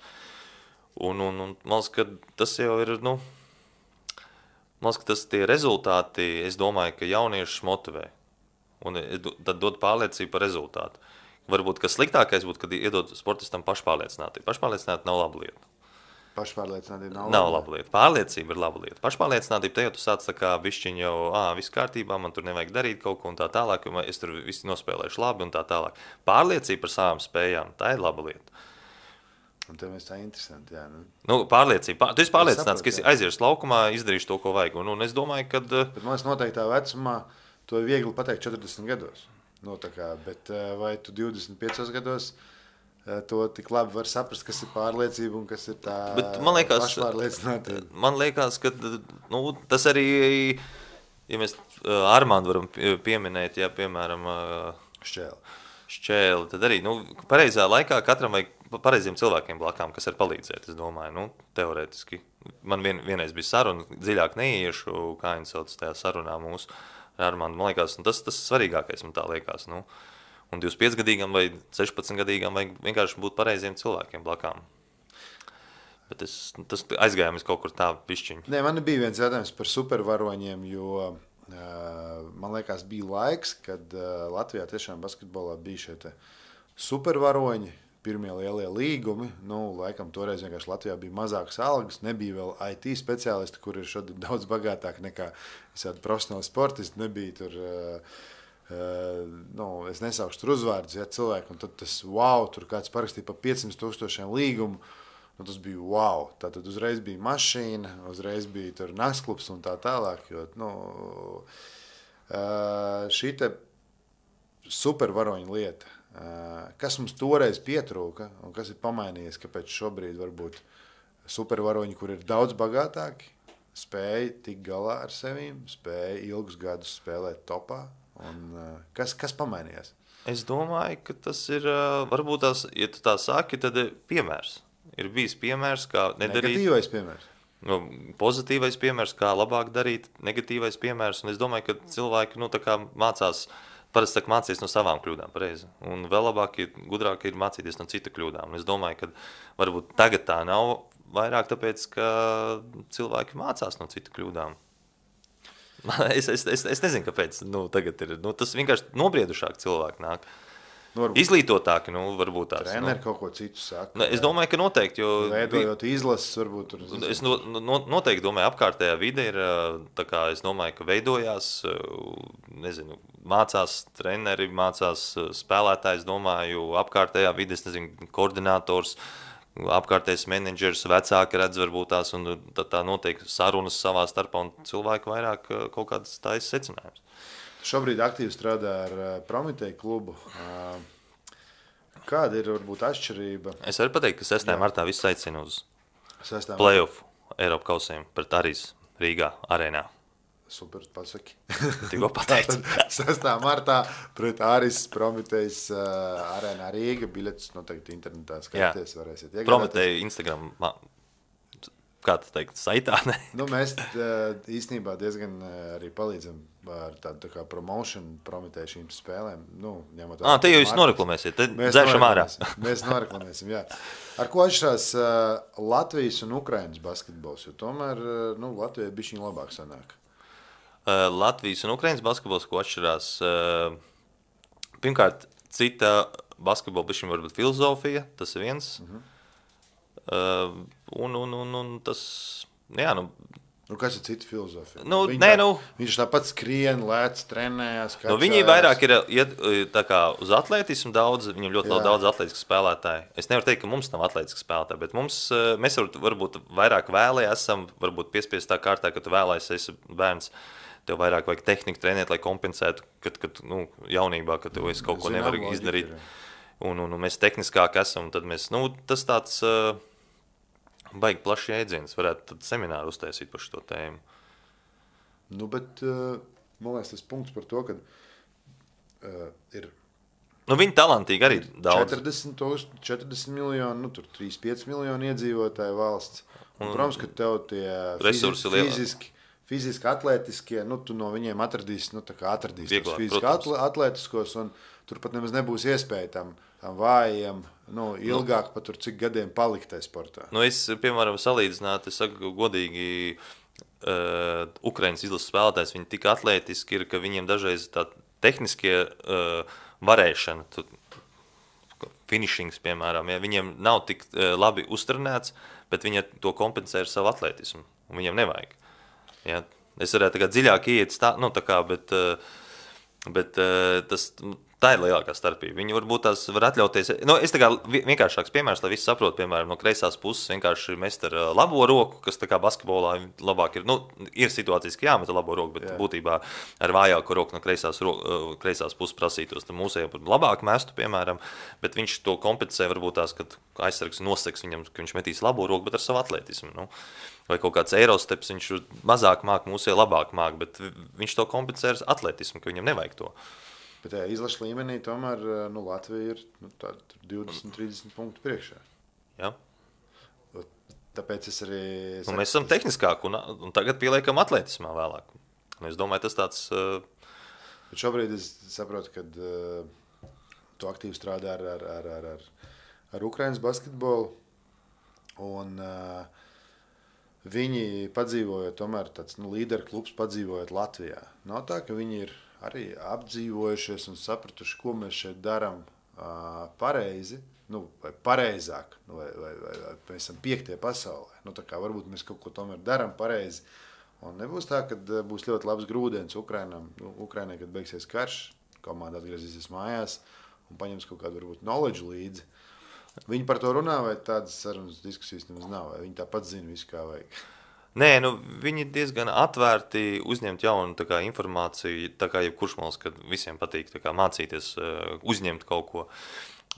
S2: Un, un, un man liekas, ka tas jau ir, nu, man liekas, ka tas tie rezultāti, es domāju, ka jauniešus motivē. Un tad dod pārliecību par rezultātu. Varbūt, kas sliktākais būtu, kad iedod sportistam pašpārliecinātību. Pašpārliecinātība nav laba lieta.
S1: Pašpārliecinātība nav,
S2: nav laba lieta. Pārliecība ir laba lieta. Pašpārliecinātība, te jau tu sāc tā kā bišķiņ jau, ā, viss kārtībā, man tur nevajag darīt kaut ko un tā tālāk, jo es tur visi nospēlēšu labi un tā tālāk. Pārliecība par savām spējām, tā ir laba lieta.
S1: Un tev ir tā interesanti, jā. Nu.
S2: Nu, pārliecība. Pār, tu esi pārliecināts, ka es aiziešu laukumā, izdarīšu to, ko vajag. Un, un es domāju, ka...
S1: Bet man liekas, noteiktā vecumā to ir viegli pateikt četrdesmit gados. Nu, tā kā, bet vai tu divdesmit piecos gados to tik labi var saprast, kas ir pārliecība un kas ir tā
S2: bet man liekas,
S1: pašpārliecinātība?
S2: Man liekas, ka nu, tas arī, ja mēs Armandu varam pieminēt, ja, piemēram...
S1: Šķēli.
S2: Šķēli, tad arī, nu, pareizā laikā katram vajag pareiziem cilvēkiem blakām, kas var palīdzēt, es domāju, nu, teorētiski. Man vien, vienreiz bija saruna, dziļāk neiešu, kā viņi sauc tajā sarunā mūsu ar Armandu, man liekas, un tas, tas svarīgākais, man tā liekas, nu. Un divdesmitpiecgadīgam vai sešpadsmitgadīgam vajag vienkārši būt pareiziem cilvēkiem blakām. Bet es, tas aizgājām kaut kur tā pišķiņu.
S1: Nē, man bija viens jautājums par supervaroņiem, jo... Man liekas, bija laiks, kad Latvijā tiešām basketbolā bija šie te supervaroņi, pirmie lielie līgumi. Nu, laikam toreiz vienkārši Latvijā bija mazākas algas, nebija vēl I T speciālisti, kur ir šodien daudz bagātāk nekā visādi profesionāli sportisti. Nebija tur, nu, es nesaukšu tur uzvārdus, ja, cilvēki, un tad tas wow, tur kāds parakstīja pa piecsimt tūkstošiem līgumu. Nu, tas bija wow. Tātad uzreiz bija mašīna, uzreiz bija tur naktsklubs un tā tālāk. Jo, nu, šī te supervaroņa lieta, kas mums toreiz pietrūka un kas ir pamainījies, kāpēc šobrīd varbūt supervaroņi, kur ir daudz bagātāki, spēja tikt galā ar sevīm, spēja ilgus gadus spēlēt topā. Un, kas, kas pamainījās?
S2: Es domāju, ka tas ir, varbūt tās, ja tu tā saki, tad ir piemērs. Ir bijis piemērs, kā nedarīt.
S1: Negatīvais piemērs.
S2: Nu, pozitīvais piemērs, kā labāk darīt, negatīvais piemērs. Un es domāju, ka cilvēki nu, tā kā mācās, parasti tā, mācīs no savām kļūdām, pareizi. Un vēl labāk ir, gudrāk ir mācīties no cita kļūdām. Un es domāju, ka varbūt tagad tā nav vairāk tāpēc, ka cilvēki mācās no cita kļūdām. es, es, es, es nezinu, kāpēc nu, tagad ir. Nu, tas vienkārši nobriedušāk cilvēki nāk. Nu, izglītotāki, nu, varbūt tās.
S1: Treneri
S2: nu,
S1: kaut ko citu saka.
S2: Nu, es domāju, ka noteikti, jo...
S1: Veidojot izlases, varbūt tur...
S2: Es no, no, noteikti domāju, apkārtējā vide ir, tā kā es domāju, ka veidojās, nezinu, mācās treneri, mācās spēlētājs, domāju, apkārtējā vide, es nezinu, koordinators, apkārtējais menedžers, vecāki redz varbūt tās, un tā, tā noteikti sarunas savā starpā, un cilvēki vairāk kaut kādas tājas secinājums.
S1: Šobrīd aktīvi strādā ar Prometēju klubu. Kāda ir varbūt atšķirība?
S2: Es varu pateikt, ka sestajā martā viss aicina uz play-off Eiropa kausiem pret Arīs Rīgā arēnā.
S1: Super, pasaki.
S2: Tikko pateicu.
S1: sestā martā pret Arīs Prometējas arēnā Rīga. Biļetes noteikti internetā skaties, varēsiet iegādāties.
S2: Prometēja Instagram kā tu teikt, saitā? Ne?
S1: Nu, mēs īstenībā diezgan arī palīdzam ar tādu tā kā promotion, promitēju šīm spēlēm. Nu, ņemot
S2: ah, te jau jūs noreklamēsiet, te dzēršam ārā.
S1: Mēs noreklamēsim, jā. Ar ko atšķirās uh, Latvijas un Ukrainas basketbols? Jo tomēr nu, Latvijai bišķiņ labāk sanāk.
S2: Uh, Latvijas un Ukrainas basketbols, ko atšķirās, uh, pirmkārt, cita basketbola bišķiņ varbūt filozofija, tas ir viens. Uh-huh. Uh, un, un, un, un tas, jā, nu...
S1: Nu, kas ir cita filozofija?
S2: Nu,
S1: Viņi
S2: nē,
S1: tā,
S2: nu...
S1: Viņš tāpat skrien, lēc, trenējās,
S2: Nu, viņi vairāk ir iet tā kā uz atletismu daudz, viņam ļoti jā. Daudz atletisku spēlētāju. Es nevaru teikt, ka mums nav atletisku spēlētāju, bet mums, mēs varbūt, varbūt vairāk vēlē esam, varbūt piespiest tā kārtā, ka tu vēlēsi, esi bērns, tev vairāk vajag tehniku trenēt, lai kompensētu, kad, kad nu, jaunībā, kad tev es kaut ko nevaru izdarīt. Un, un, un mēs tehniskāk esam, tad mēs, nu, tas tāds... Uh, baigi plašs jēdziens, varētu tad semināru uztaisīt par šo tēmu.
S1: Nu, bet, uh, man liekas, tas punkts par to, ka uh, ir...
S2: Nu, viņi talantīgi arī daudz.
S1: četrdesmit, četrdesmit miljoni, nu, tur trīs pieci miljoni iedzīvotāju valsts. Un, protams, ka tev tie
S2: resursi
S1: fiziski, fiziski atletiskie, nu, tu no viņiem atradīsi, nu, tā kā atradīsi tos fiziski atle, atletiskos, un tur pat nemaz nebūs iespēja tam, tam vājiem, nu, ilgāk nu, pat tur cik gadiem palikt tajā sportā.
S2: Nu, es, piemēram, salīdzināt, es saku godīgi, uh, Ukrainas izlases spēlētājs, viņi tik atlētiski ir, ka viņiem dažreiz tā tehniskie uh, varēšana, tu, finishings, piemēram, ja, viņiem nav tik uh, labi uztrenēts, bet viņi to kompensē ar savu atlētismu, un viņiem nevajag. Ja. Es varētu tā kā dziļāk iet, tā, nu, tā kā, bet, uh, bet uh, tas... Tā ir lielākā starpība. Viņi varbūt tās var atļauties. Nu, es tā kā vienkāršāks piemērs, lai visi saprot, piemēram, no kreisās puses vienkārši mest ar labo roku, kas tā kā basketbolā labāk ir. Nu, ir situācijas, ka jāmet labo roku, bet Jā. Būtībā ar vājāku roku no kreisās, kreisās puses prasītos. Tad mūsējā labāk mestu, piemēram, bet viņš to kompensē varbūt tās, kad aizsargs noseks viņam, ka viņš metīs labo roku, bet ar savu atletismu. Nu. Vai kaut kāds eirosteps, viņš mazāk māk, mūsējā labāk māk, bet viņš to kompensē ar atletismu, ka viņam nevajag to.
S1: Bet jā, izlaša līmenī tomēr nu, Latvija ir nu, divdesmit trīsdesmit punktu priekšā.
S2: Jā.
S1: Tāpēc es arī...
S2: Nu, mēs esam tehniskāki un, un tagad pieliekam atletismā vēlāk. Un es domāju, tas tāds... Uh...
S1: Bet šobrīd es saprotu, ka uh, tu aktīvi strādā ar, ar, ar, ar, ar, ar Ukrainas basketbolu. Un uh, viņi padzīvojot, tomēr tāds nu, līderu klubs padzīvojot Latvijā. Nav tā, ka viņi ir arī apdzīvojušies un sapratuši, ko mēs šeit darām uh, pareizi, nu, vai pareizāk, nu, vai, vai, vai, vai mēs esam piektie pasaulē. Nu, tā kā varbūt mēs kaut ko tomēr darām pareizi. Un nebūs tā, ka būs ļoti labs grūdienis Ukrainam, nu, Ukrainai, kad beigsies karš, komanda atgriezīsies mājās un paņems kaut kādu varbūt knowledge līdzi. Viņi par to runā, vai tādas sarunas diskusijas nemaz nav, vai viņi tāpat zina visu, kā vajag?
S2: Nē, nu, viņi diezgan atvērti uzņemt jaunu tā kā, informāciju, tā kā jebkurš malas, kad visiem patīk tā kā, mācīties, uzņemt kaut ko.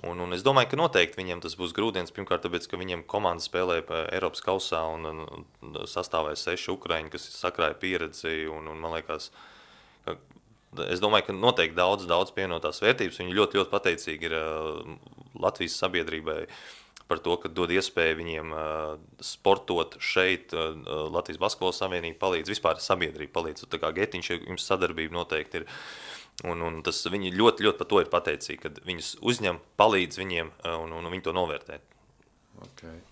S2: Un, un es domāju, ka noteikti viņiem tas būs grūdienis, pirmkārt, tāpēc, ka viņiem komanda spēlē Eiropas kausā un, un sastāvēja seši Ukraiņi, kas sakrāja pieredzi, un, un man liekas, ka, es domāju, ka noteikti daudz, daudz pievienotās vērtības, viņi ļoti, ļoti pateicīgi ir Latvijas sabiedrībai, par to, ka dod iespēju viņiem uh, sportot šeit, uh, Latvijas basketbola savienība palīdz, vispār sabiedrība palīdz, tā kā Getiņš, jums sadarbība noteikti ir, un, un tas viņi ļoti, ļoti par to ir pateicīgi, kad viņus uzņem, palīdz viņiem, uh, un, un viņi to novērtē.
S1: Okay.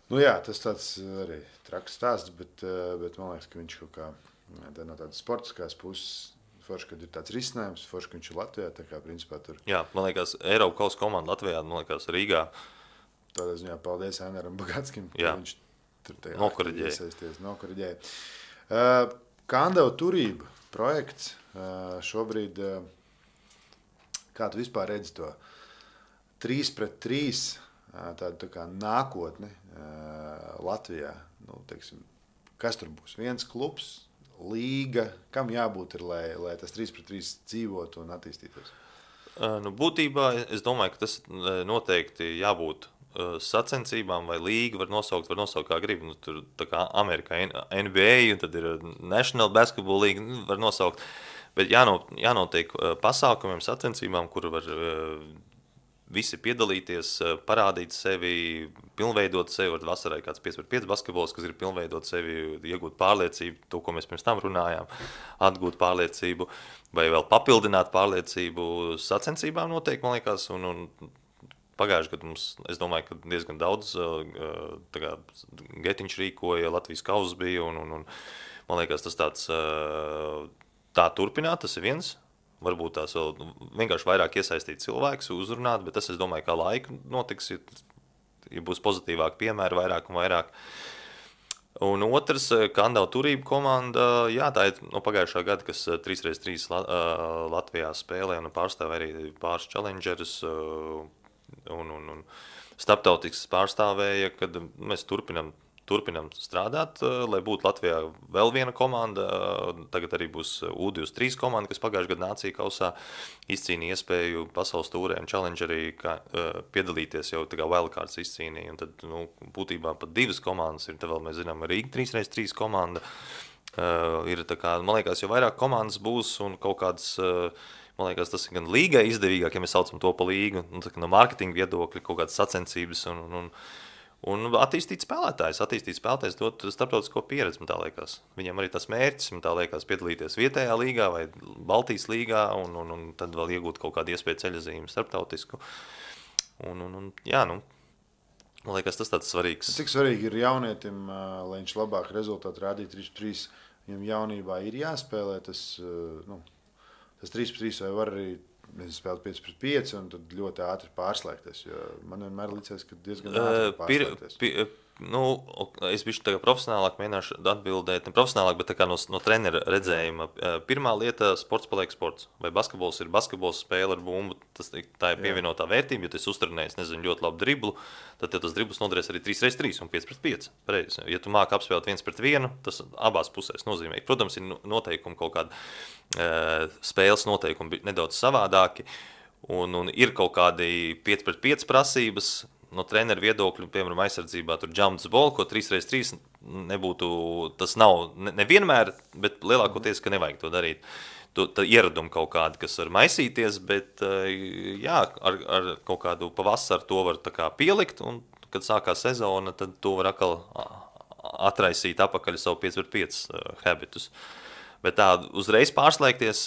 S1: Nu jā, tas tāds arī traks stāsts, bet, uh, bet man liekas, ka viņš kaut kā tā no tādas sportiskās puses, forši, kad ir tāds risinājums, forši, ka viņš ir Latvijā, tā kā principā tur.
S2: Jā, man liekas, Eiropa kausa komanda Latvijā, man liekas, Rīgā.
S1: Tādā ziņā paldies Ēneram Bagatskim,
S2: ka
S1: viņš tur tajā
S2: nokoriģēja.
S1: nokoriģēja. Uh, Kandava turība projekts uh, šobrīd, uh, kā tu vispār redzi to trīs pret trīs, uh, tādu tā kā nākotni uh, Latvijā, nu, teiksim, kas tur būs? Viens klubs, līga, kam jābūt ir, lai, lai tas trīs pret trīs dzīvotu un attīstītos?
S2: Uh, nu, būtībā es domāju, ka tas noteikti jābūt sacensībām vai līga var nosaukt, var nosaukt kā grib. Nu, tur tā kā Amerikā N B A un tad ir National Basketball League, nu, var nosaukt. Bet jāno, jānotiek pasākumiem, sacensībām, kur var visi piedalīties, parādīt sevi, pilnveidot sevi, var vasarai kāds pieci pret pieci basketbols, kas ir pilnveidot sevi, iegūt pārliecību, to, ko mēs pirms tam runājām, atgūt pārliecību, vai vēl papildināt pārliecību sacensībām noteikti, man liekas, un, un pagājuši gadu mums, es domāju, ka diezgan daudz tā kā Getiņš rīkoja, Latvijas kauzas bija, un, un, un man liekas, tas tāds tā turpināt, tas ir viens. Varbūt tās vēl vienkārši vairāk iesaistīt cilvēkus, uzrunāt, bet tas, es domāju, kā laika notiks, ja, ja būs pozitīvāk piemēri vairāk un vairāk. Un otrs, Kandava turība komanda, jā, tā ir no pagājušā gada, kas trīs pret trīs Latvijā spēlē un pārstāv arī pāris challengerus un, un, un starptautisks pārstāvēja, kad mēs turpinam Turpinam strādāt, lai būtu Latvijā vēl viena komanda. Tagad arī būs U divdesmit trīs komanda, kas pagājušajā gadā nācija kausā izcīnīja iespēju pasaules tūrē un challengerī kā, piedalīties jau tā kā wildcards izcīnīja. Un tad, nu, būtībā pat divas komandas ir, tad vēl mēs zinām, Rīga trīs pret trīs komanda. Uh, ir tā kā, man liekas, jo vairāk komandas būs un kaut kādas, uh, man liekas, tas ir gan līgai izdevīgāk, ja mēs saucam to pa līgu, un, tā, no mārketinga viedokļa kaut kādas sacensības un, un, un Un attīstīt spēlētājs, attīstīt spēlētājs dot starptautisko pieredzi, man tā liekas. Viņam arī tas mērķis, man tā liekas, piedalīties vietējā līgā vai Baltijas līgā un, un, un tad vēl iegūt kaut kādu iespēju ceļazīmi starptautisku. Un, un, un jā, nu, man liekas, tas tāds svarīgs.
S1: Cik svarīgi ir jaunietim, lai viņš labāk rezultātu rādītu trīs pret trīs, viņam jaunībā ir jāspēlē tas, nu, tas trīs pret trīs vai var arī Mēs spēlējām pieci pret pieci un tad ļoti ātri pārslēgties. Man vienmēr liekas, ka diezgan ātri pārslēgties.
S2: Pir, pir, nu, es biju tā kā profesionālāk mēģināšu atbildēt, ne profesionālāk, bet tā kā no, no trenera redzējuma. Pirmā lieta - sports paliek sports. Vai basketbols ir basketbols spēle ar bumbu, tas, tā ir pievienotā vērtība, jo tu esi uztrenējis, nezinu, ļoti labu driblu, tad tev tas dribls noderēs arī trīs pret trīs un pieci pret pieci. Pareizi. Ja tu māki apspēlēt viens pret vienu, tas abās pusēs nozīmē. Protams, ir noteikumi kaut kādi spēles noteikumi nedaudz savādāki, un, un ir kaut kādi pieci pret pieci prasības no treneru viedokļu, piemēram, aizsardzībā, tur jumps ball, ko trīs pret trīs nebūtu, tas nav nevienmēr, bet lielākoties, ka nevajag to darīt. Tu, tā ieradumi kaut kādi, kas var maisīties, bet jā, ar, ar kaut kādu pavasaru to var tā kā pielikt, un kad sākās sezona, tad to var atkal atraisīt apakaļ savu pieci pret pieci habitus. Bet tā uzreiz pārslēgties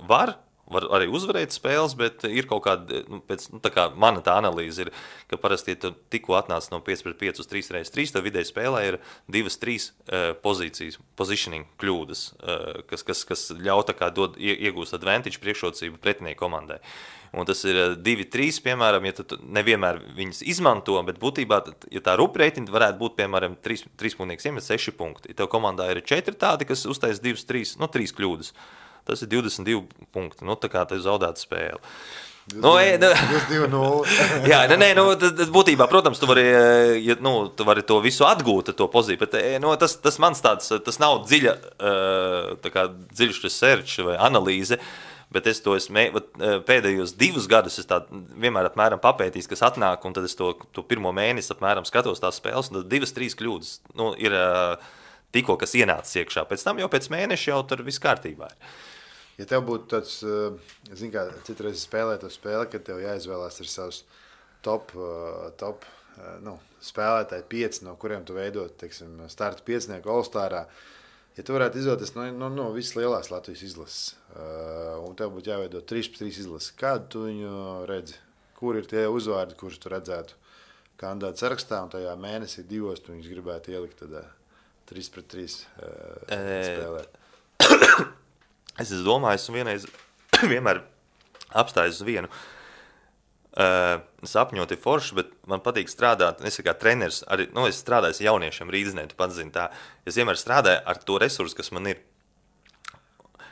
S2: var, var arī uzvarēt spēles, bet ir kaut kāda, nu, pēc, nu, tā kā mana tā analīze ir, ka parasti, ja tu tikko atnāc no pieci pret pieci uz trīs pret trīs, tad vidēji spēlē ir divas, trīs uh, pozīcijas, positioning kļūdas, uh, kas, kas, kas ļauj tā kā dod, iegūst advantage priekšrocību pretinieku komandai. Un tas ir divi trīs, piemēram, ja tu nevienmēr viņas izmanto, bet būtībā, ja tā rupreitinga varētu būt, piemēram, trīs, trīs punktnieks iemet seši punkti. Ja tev komandā ir četri tādi, kas uztais divas, trīs, no trīs kļūdas. Tas ir divdesmit divi punkti. Nu, tā kā tev zaudēta spēle. Nu,
S1: divdesmit divi nulle.
S2: Jā, nē, nē, nu, tas būtībā, protams, tu vari, ja, nu, tu vari to visu atgūt, to pozīciju, bet nu, tas, tas mans tāds, tas nav dziļa, tā kā dziļš research vai analīze, bet es to esmu pēdējos divus gadus es tā vienmēr apmēram papētījis, kas atnāk, un tad es to, to pirmo mēnesi apmēram skatos tās spēles, un tad divas, trīs kļūdas nu, ir tikko, kas ienācis iekšā. Pēc tam jau pēc mēneša jau tur viss kārtībā ir.
S1: Ja tev būtu tāds, zin kā, citreiz spēlēt to spēli, kad tev jāizvēlās ir savs top, top nu, spēlētāji pieci, no kuriem tu veidot, teiksim, starta piecinieku All-Starā, ja tu varētu izvēlēties no, no, no visas lielās Latvijas izlases, un tev būtu jāveido trīs pret trīs izlases, kādu tu viņu redzi? Kur ir tie uzvārdi, kurus tu redzētu kandidātu sarakstā, un tajā mēnesī divos tu viņus gribētu ielikt tādā trīs pret trīs spēlēt?
S2: Es esmu domājis un vienreiz vienmēr apstājis uz vienu. Uh, sapņot ir forši, bet man patīk strādāt, es kā treneris, arī, nu, es strādāju jauniešiem Rīdzenē, tu pats zini tā, es vienmēr strādāju ar to resursu, kas man ir.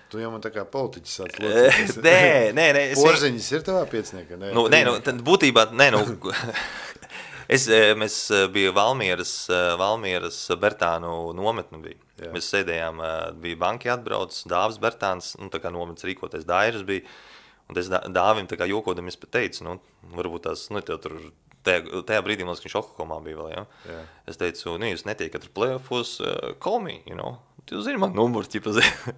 S1: Tu jau man tā kā politiķis sāc locīties.
S2: Nē, nē, nē.
S1: Porziņas ir tavā pieciniekā?
S2: Nu, nē, nu, tad būtībā, nē, nu, es, mēs biju Valmieras, Valmieras Bertānu nometnu biju. Jā. Mēs sēdējām, bija banki atbrauc, Dāvis Bertāns, nu, tā kā nometnes rīkoties Dairas bija, un es Dāvim tā kā jokodamies pat teicu, nu, varbūt tās, nu, tev tur, tajā, tajā brīdī, man liekas, viņš Oklakomā bija vēl, ja? Jā. Es teicu, nu, jūs netiekat ar playoffos, uh, call me, you know, tu zini man numuru, ķipa zini.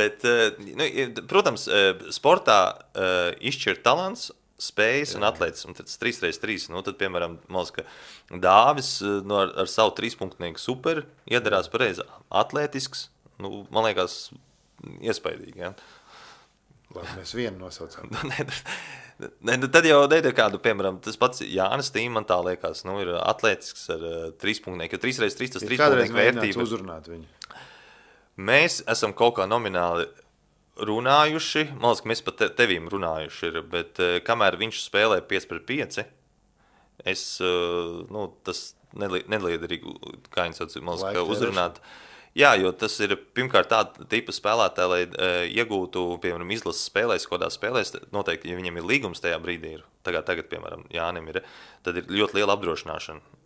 S2: Bet, uh, nu, protams, uh, sportā uh, izšķir talants spējas un atletismu, tad trīs pret trīs. Nu, tad, piemēram, mums, ka Dāvis nu, ar, ar savu trīspunktnieku super iedarās pareizi atletisks. Nu, man liekas, iespaidīgi. Ja?
S1: Labi, mēs vienu nosaucām.
S2: Ne, tad jau ir kādu, piemēram, tas pats Jānis Tīm, man tā liekas, nu, ir atletisks ar trīspunktnieku, jo trīs pret trīs tas trīspunktnieku vērtība.
S1: Uzrunāt viņu.
S2: Mēs esam kaut kā nomināli runājuši, man liekas, ka mēs pat te, tevīm runājuši ir, bet kamēr viņš spēlē pieci pret pieci, es, nu, tas neliederīgi, kā viņš sauc, man liekas, ka uzrunāt. Jā, jo tas ir pirmkārt tāda tipa spēlētāja, lai uh, iegūtu, piemēram, izlases spēlēs, kādā spēlēs, noteikti, ja viņam ir līgums tajā brīdī, ir, tagad, tagad, piemēram, Jānim ir, tad ir ļoti liela apdrošināšana.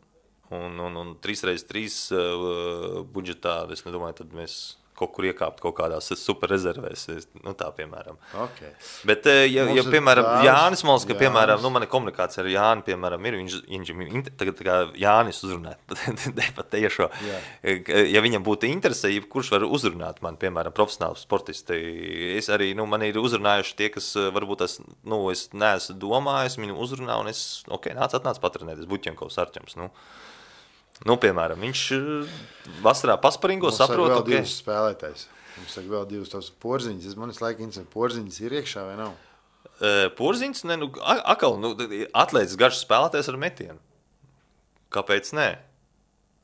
S2: Un, un, un trīs pret trīs uh, budžetā, es nedomāju, tad mēs kaut kur iekāpt kaut kādās superrezervēs, nu tā, piemēram.
S1: Okay.
S2: Bet, ja, ja piemēram, dāvs, Jānis Mols, ka, piemēram, nu, mana komunikācija ar Jāni, piemēram, ir, viņš, viņš tagad tā kā Jānis uzrunāt, pat tiešo. Ja viņam būtu interese, kurš var uzrunāt man, piemēram, profesionāli sportisti, es arī, nu, man ir uzrunājuši tie, kas varbūt es, nu, es neesmu domājis, viņu uzrunā, un es, ok, nāc, atnāc patrenēties, Buķenkovs Arķems, nu. Nu, piemēram, viņš vasarā pasparingo, saprot,
S1: ok. Mums
S2: saka
S1: vēl divas spēlētājs. Mums saka vēl divas tavas porziņas. Es manis laika interesē, porziņas ir iekšā vai nav?
S2: Uh, porziņas, ne, nu, akal, nu, atlētis garš spēlētājs ar metienu. Kāpēc nē?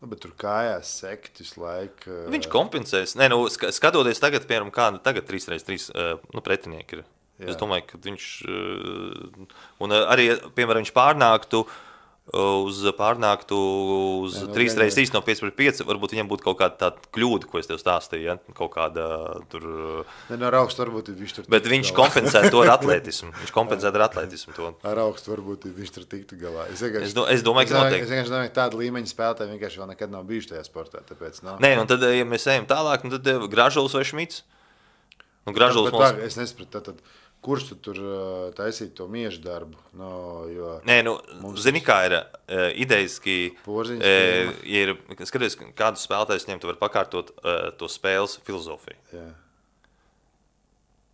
S1: Nu, bet tur kājās sekt visu laiku. Uh...
S2: Viņš kompensēs. Nē, nu, skatoties tagad, piemēram, kāda tagad trīs pret trīs uh, nu, pretinieki ir. Jā. Es domāju, ka viņš, uh, un arī, piemēram, viņš pārnāktu uz pārnāktu uz jā, no, trīs pret trīs no pieci pret pieci, varbūt viņam būtu kaut kāda tāda kļūda, ko es tev stāstīju, ja? Kaut kāda tur...
S1: Ne, no ar augstu varbūt viņš tur...
S2: Bet viņš kompensē to ar atletismu. Viņš kompensē ar atletismu to.
S1: Ar augstu varbūt viņš tur tiktu galā. Es,
S2: es, do, es domāju, ka noteikti.
S1: Es vienkārši domāju, ka tāda līmeņa spēlētāji vienkārši vēl nekad nav bijuši tajā sportā, tāpēc nav.
S2: Nē, un tad, ja mēs ejam tālāk, tad Gražuls vai Šmits? Un Gražuls
S1: mums... Es nesapratu, tad... tad... Kurš tu tur uh, taisīt to miežu darbu? No, jo
S2: Nē, nu, mums... zini, kā ir uh, ideiski,
S1: Porziņas,
S2: uh, ir, skaties, kādus spēlētājus ņem, tu vari pakārtot uh, to spēles filozofiju.
S1: Jā.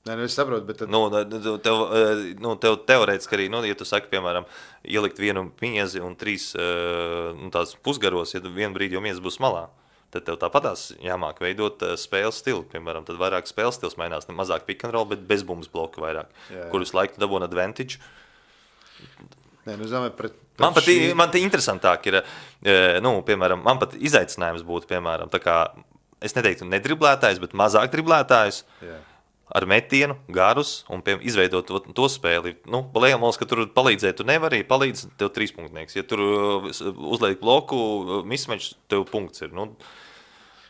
S1: Nē, nu es saprotu, bet tad...
S2: Nu, tev, uh, nu, tev teorētiski arī, nu, ja tu saki, piemēram, ielikt vienu miezi un trīs uh, nu, tās pusgaros, ja vienu brīdi jau miezes būs malā, tad tev tāpatās jāmāk veidot uh, spēles stilu. Piemēram, tad vairāk spēles stils mainās, ne mazāk pick and roll, bet bez bumbas bloka vairāk, jā, jā. Kur visu laiku dabūna advantage.
S1: Nē, nu, zamē, pret, pret
S2: man pat
S1: šī...
S2: man te interesantāk ir, uh, nu, piemēram, man pat izaicinājums būtu, piemēram, tā kā, es neteiktu nedriblētājs, bet mazāk driblētājs. Jā. Ar metienu, garus un pie, izveidot to, to spēli. Nu, liekas, ka tur palīdzēt, tu nevari, palīdz tev trīspunktnieks. Ja tur uzliek bloku, mismečs, tev punkts ir. Nu,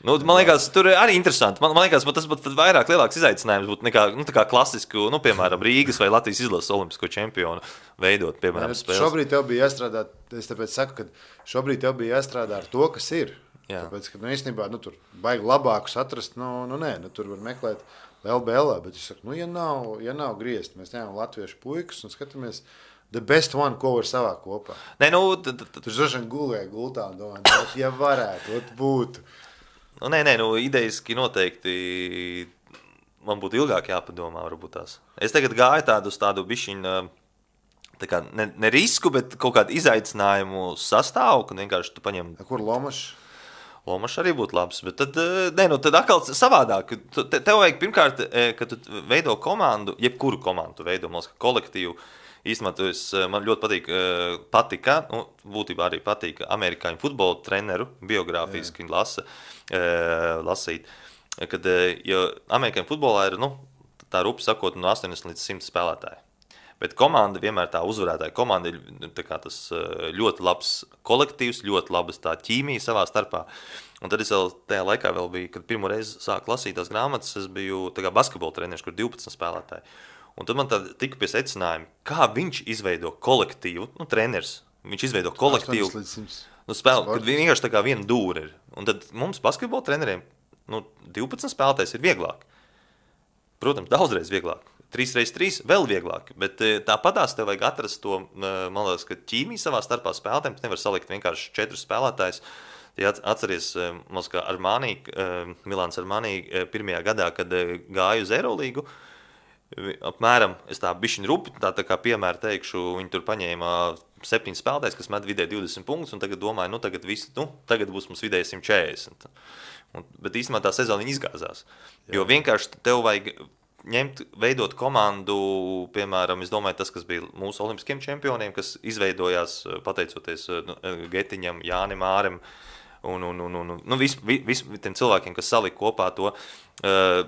S2: nu, man liekas, tur arī interesanti. Man, man liekas, tas pat vairāk lielāks izaicinājums būtu nekā nu, tā kā klasisku, nu, piemēram, Rīgas vai Latvijas izlases olimpisko čempionu veidot, piemēram, spēles.
S1: Šobrīd tev bija jāstrādā, es tāpēc saku, ka šobrīd tev bija jāstrādā ar to, kas ir. Jā. Tāpēc, ka, nu, īstenībā, nu, tur baigi labākus atrast, nu, nu, nē, nu, tur var meklēt L B L, bet es saku, nu, ja nav, ja nav griezt, mēs ņemam latviešu puikas un skatāmies the best one, ko var savā kopā.
S2: Nē, nu, tad...
S1: Tur droši vien gulēja gultā un domāju, ja varētu, ot būtu.
S2: Nu, nē, nē, nu, idejiski noteikti man būtu ilgāk jāpadomā, varbūt tās. Es tagad gāju tādu uz tādu bišķiņu, tā kā ne, ne risku, bet kaut kādu izaicinājumu sastāvu, kad vienkārši tu paņem...
S1: Kur Lomašs?
S2: Lomašs arī būtu labs, bet tad, ne, nu, tad atkal savādāk. Te, tev vajag pirmkārt, kad tu veido komandu, jebkuru komandu tu veido, mums kolektīvu, īstenībā tu es, man ļoti patīk, patika, nu, būtībā arī patīk amerikāņu futbola treneru, biogrāfiski lasa, lasīt, kad, jo amerikāņu futbolā ir, nu, tā rupi sakot, no astoņdesmit līdz simt spēlētāji. Bet komanda vienmēr tā uzvarētāja komanda ir tā kā tas ļoti labs kolektīvs, ļoti labas tā ķīmija savā starpā. Un tad es vēl tajā laikā vēl biju, kad pirmo reizi sāku lasīt tās grāmatas, es biju tā kā basketbola treneris, kur divpadsmit spēlētāji. Un tad man tā tika pie secinājuma, kā viņš izveido kolektīvu, nu, treneris, viņš izveido kolektīvu, nu, spēl, kad vienkārši tā kā viena dūra ir. Un tad mums basketbola treneriem, nu, divpadsmit spēlētājs ir vieglāk. Protams, daudzreiz vieglāk. trīs pret trīs vēl vieglāk, bet tāpatās tev vajag atrast to, man liekas, ka ķīmiju savā starpā spēlētājiem, tu nevar salikt vienkārši četrus spēlētājus. Ja atceries, mums kā Armani, Milāns Armani pirmajā gadā, kad gāju uz Eirolīgu, apmēram, es tā bišķiņ rupi, tā, tā kā piemēra teikšu, viņi tur paņēma septiņas spēlētājs, kas met vidēji divdesmit punktus, un tagad domāju, nu tagad, visi, nu, tagad būs mums vidēji simt četrdesmit. Un, bet īstenībā tā sezona izgāzās. Jā. Jo vienkārši tev vajag ņemt, veidot komandu, piemēram, es domāju, tas, kas bija mūsu olimpiskiem čempioniem, kas izveidojās pateicoties nu, Getiņam, Jānim Ārem, un, un, un, un nu, vis, vis, tiem cilvēkiem, kas salika kopā to.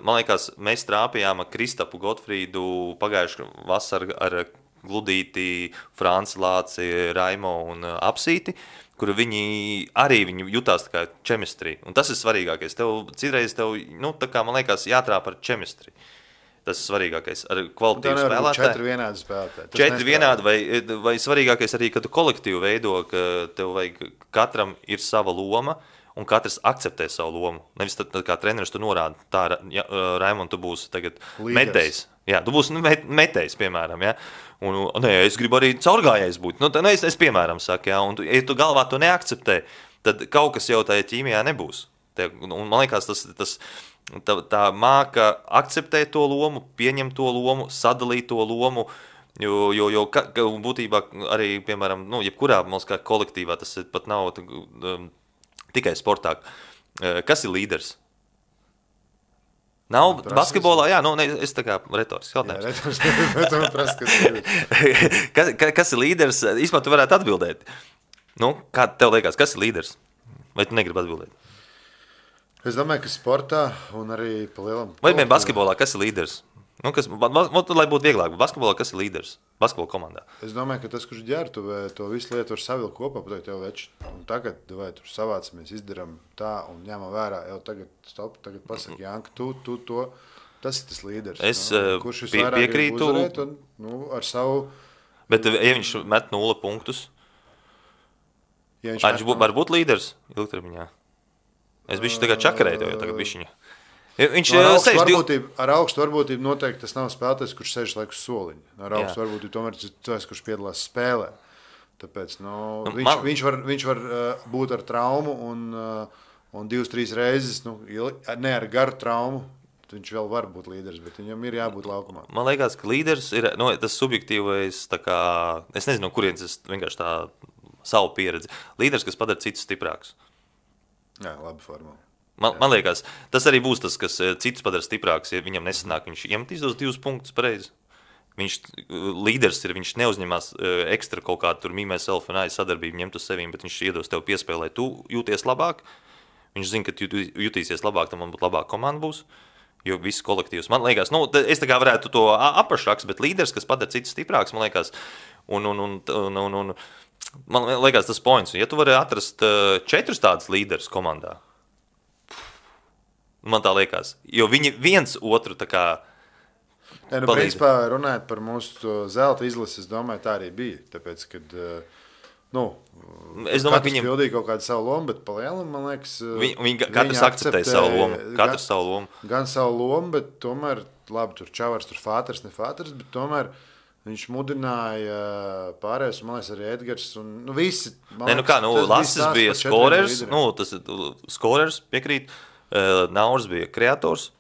S2: Man liekas, mēs trāpījām ar Kristapu Gotfrīdu pagājuši vasaru ar Gludīti, Franci Lāci, Raimo un Apsīti, kur viņi arī viņi jutās tā kā čemistrija. Un tas ir svarīgākais. Tev, citreiz tev, nu, tā kā man liekas, jātrāp ar čemistriju. Tas ir svarīgākais. Ar kvalitīvu spēlētāju.
S1: Četri vienādi spēlētāji.
S2: Četri vienādi, vai, vai svarīgākais arī, ka tu kolektīvu veido, ka tev vajag, katram ir sava loma, un katrs akceptē savu lomu. Nevis tad, tad kā treneris tu norāda, tā, ja, Raimond, tu būsi tagad metējs. Jā, tu būsi nu, metējs, piemēram, ja. Un, un nē, es gribu arī caurgājējs būt. Nu, tā, nu, es, es piemēram saku, ja, un tu, ja tu galvā to neakceptē, tad kaut kas jau tajā ķīmijā nebūs. Te, un man liekas, tas, tas tā, tā māka akceptēt to lomu, pieņemt to lomu, sadalīt to lomu, jo, jo, jo ka, būtībā arī, piemēram, nu, jebkurā mums kā kolektīvā, tas pat nav um, tikai sportā. Kas ir līderis? Nav basketbolā, jā, nu, ne, es tā kā retorisks jautājums. kas, kas ir līderis? Īsmā tu varētu atbildēt. Nu, kā tev liekas, kas ir līderis? Vai tu negribi atbildēt?
S1: Es domāju, ka sportā un arī pa lielam...
S2: Vai vien basketbolā, kas ir līderis? Nu, kas, lai būtu vieglāk, basketbolā, kas ir līderis? Basketbola komandā.
S1: Es domāju, ka tas, kurš ģēr, tu to visu lietu var savilkt kopā, pateikt, jau veči, un tagad, vai tur savācamies, izdaram tā un ņemam vērā, jau tagad, stop, tagad pasaki, Janka, tu, tu to, tas ir tas līderis.
S2: Es
S1: no? Kurš
S2: pie, piekrītu.
S1: Uzvarēt, un, nu, ar savu...
S2: Bet, ja viņš met nula punktus, ja viņš, viņš būt, var būt līderis ilgtermiņā. Es bišķi tagad čakarēju, jo tagad bišķiņa. Viņš
S1: no, ar, augstu varbūtību, ar augstu varbūtību noteikti tas nav spēlētājs, kurš sēž laiku soliņu. Ar augstu varbūtību tomēr tas ir cilvēks, kurš piedalās spēlē. Tāpēc nu, nu, viņš, man... viņš var, viņš var uh, būt ar traumu un, uh, un divas, trīs reizes, nu, ne ar garu traumu, viņš vēl var būt līderis, bet viņam ir jābūt laukumā.
S2: Man liekas, ka līderis ir nu, tas subjektīvais, tā kā, es nezinu, kurienes es vienkārši tā savu pieredzi. Līderis, kas padara citus stiprākus.
S1: Jā, labi formula.
S2: Man, man liekas, tas arī būs tas, kas citus padara stiprāks, ja viņam nesanāk, viņš iemetīs tos divus punktus pareizi. Viņš līderis ir, viņš neuzņemās ekstra kaut kādu tur mīmē self un ai sadarbību ņemt uz sevīm, bet viņš iedos tev piespēlē, tu jūties labāk, viņš zina, ka tu jutīsies labāk, tam man būtu labāk komanda būs, jo viss kolektīvs. Man liekas, nu, es tā kā varētu to apašraks, bet līderis, kas padara citus stiprāks, man liekas, un, un, un, un, un, un man liekas tas points, ja tu vari atrast četrus tādus līderus komandā, man tā liekas, jo viņi viens otru tā kā
S1: ja, nu, principā runājot par mūsu zelta izlasi, es domāju, tā arī bija, tāpēc, kad, nu, es domāju, katrs viņam... pildīja kaut kādu savu lomu, bet pa lielam, man liekas,
S2: viņi, viņi, katrs akceptēja savu lomu, katrs
S1: gan,
S2: savu lomu.
S1: Gan savu lomu, bet tomēr, labi, tur Čavars, tur Fāters, ne Fāters, bet tomēr viņš mudināja pārējais, man liekas, arī Edgars, un, nu, visi, man
S2: ne, nu kā, nu, Lasis bija skorers, nu, tas ir skorers, piekrīt, Nauris bija kreators,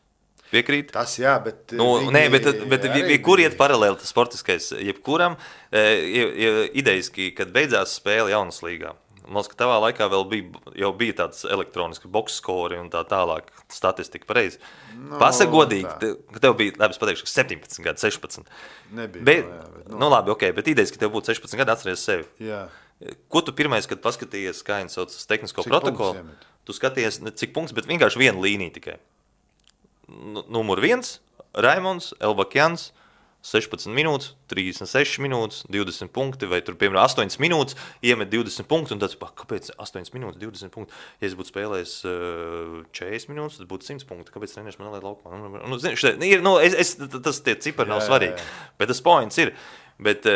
S2: piekrīt.
S1: Tas jā, bet...
S2: Nu, nē, bet, bet kur iet paralēli tas sportiskais, jebkuram, ideiski, kad beidzās spēle jaunas līgā. Man liekas, ka tavā laikā vēl bija, jau bija tāds elektroniski boxskori un tā tālāk statistika pareizi. No, Pasaka godīgi, ka tev bija, labi, es pateikšu, septiņpadsmit gadi, sešpadsmit.
S1: Nebija.
S2: Bet,
S1: no, jā, bet,
S2: no. Nu labi, ok, bet idejas, ka tev būtu sešpadsmit gadi, atceries sevi.
S1: Jā.
S2: Ko tu pirmais, kad paskatījies, kā viņi sauc tehnisko cik protokolu, tu skaties, ne cik punkts, bet vienkārši viena līnija tikai. Numur viens, Raimonds, Elbakjans, sešpadsmit minūtes, trīsdesmit sešas minūtes, divdesmit punkti, vai tur, piemēram, astoņas minūtes, iemet divdesmit punktus, un tāds, kāpēc astoņas minūtes, divdesmit punkti? Ja es būtu spēlējis uh, četrdesmit minūtes, tad būtu simt punkti. Kāpēc trenieris man neliet laukumā? Nu, nu, zin, šeit, ir, nu, es, es, tas tie cipari nav svarīgi, bet tas points ir. Bet,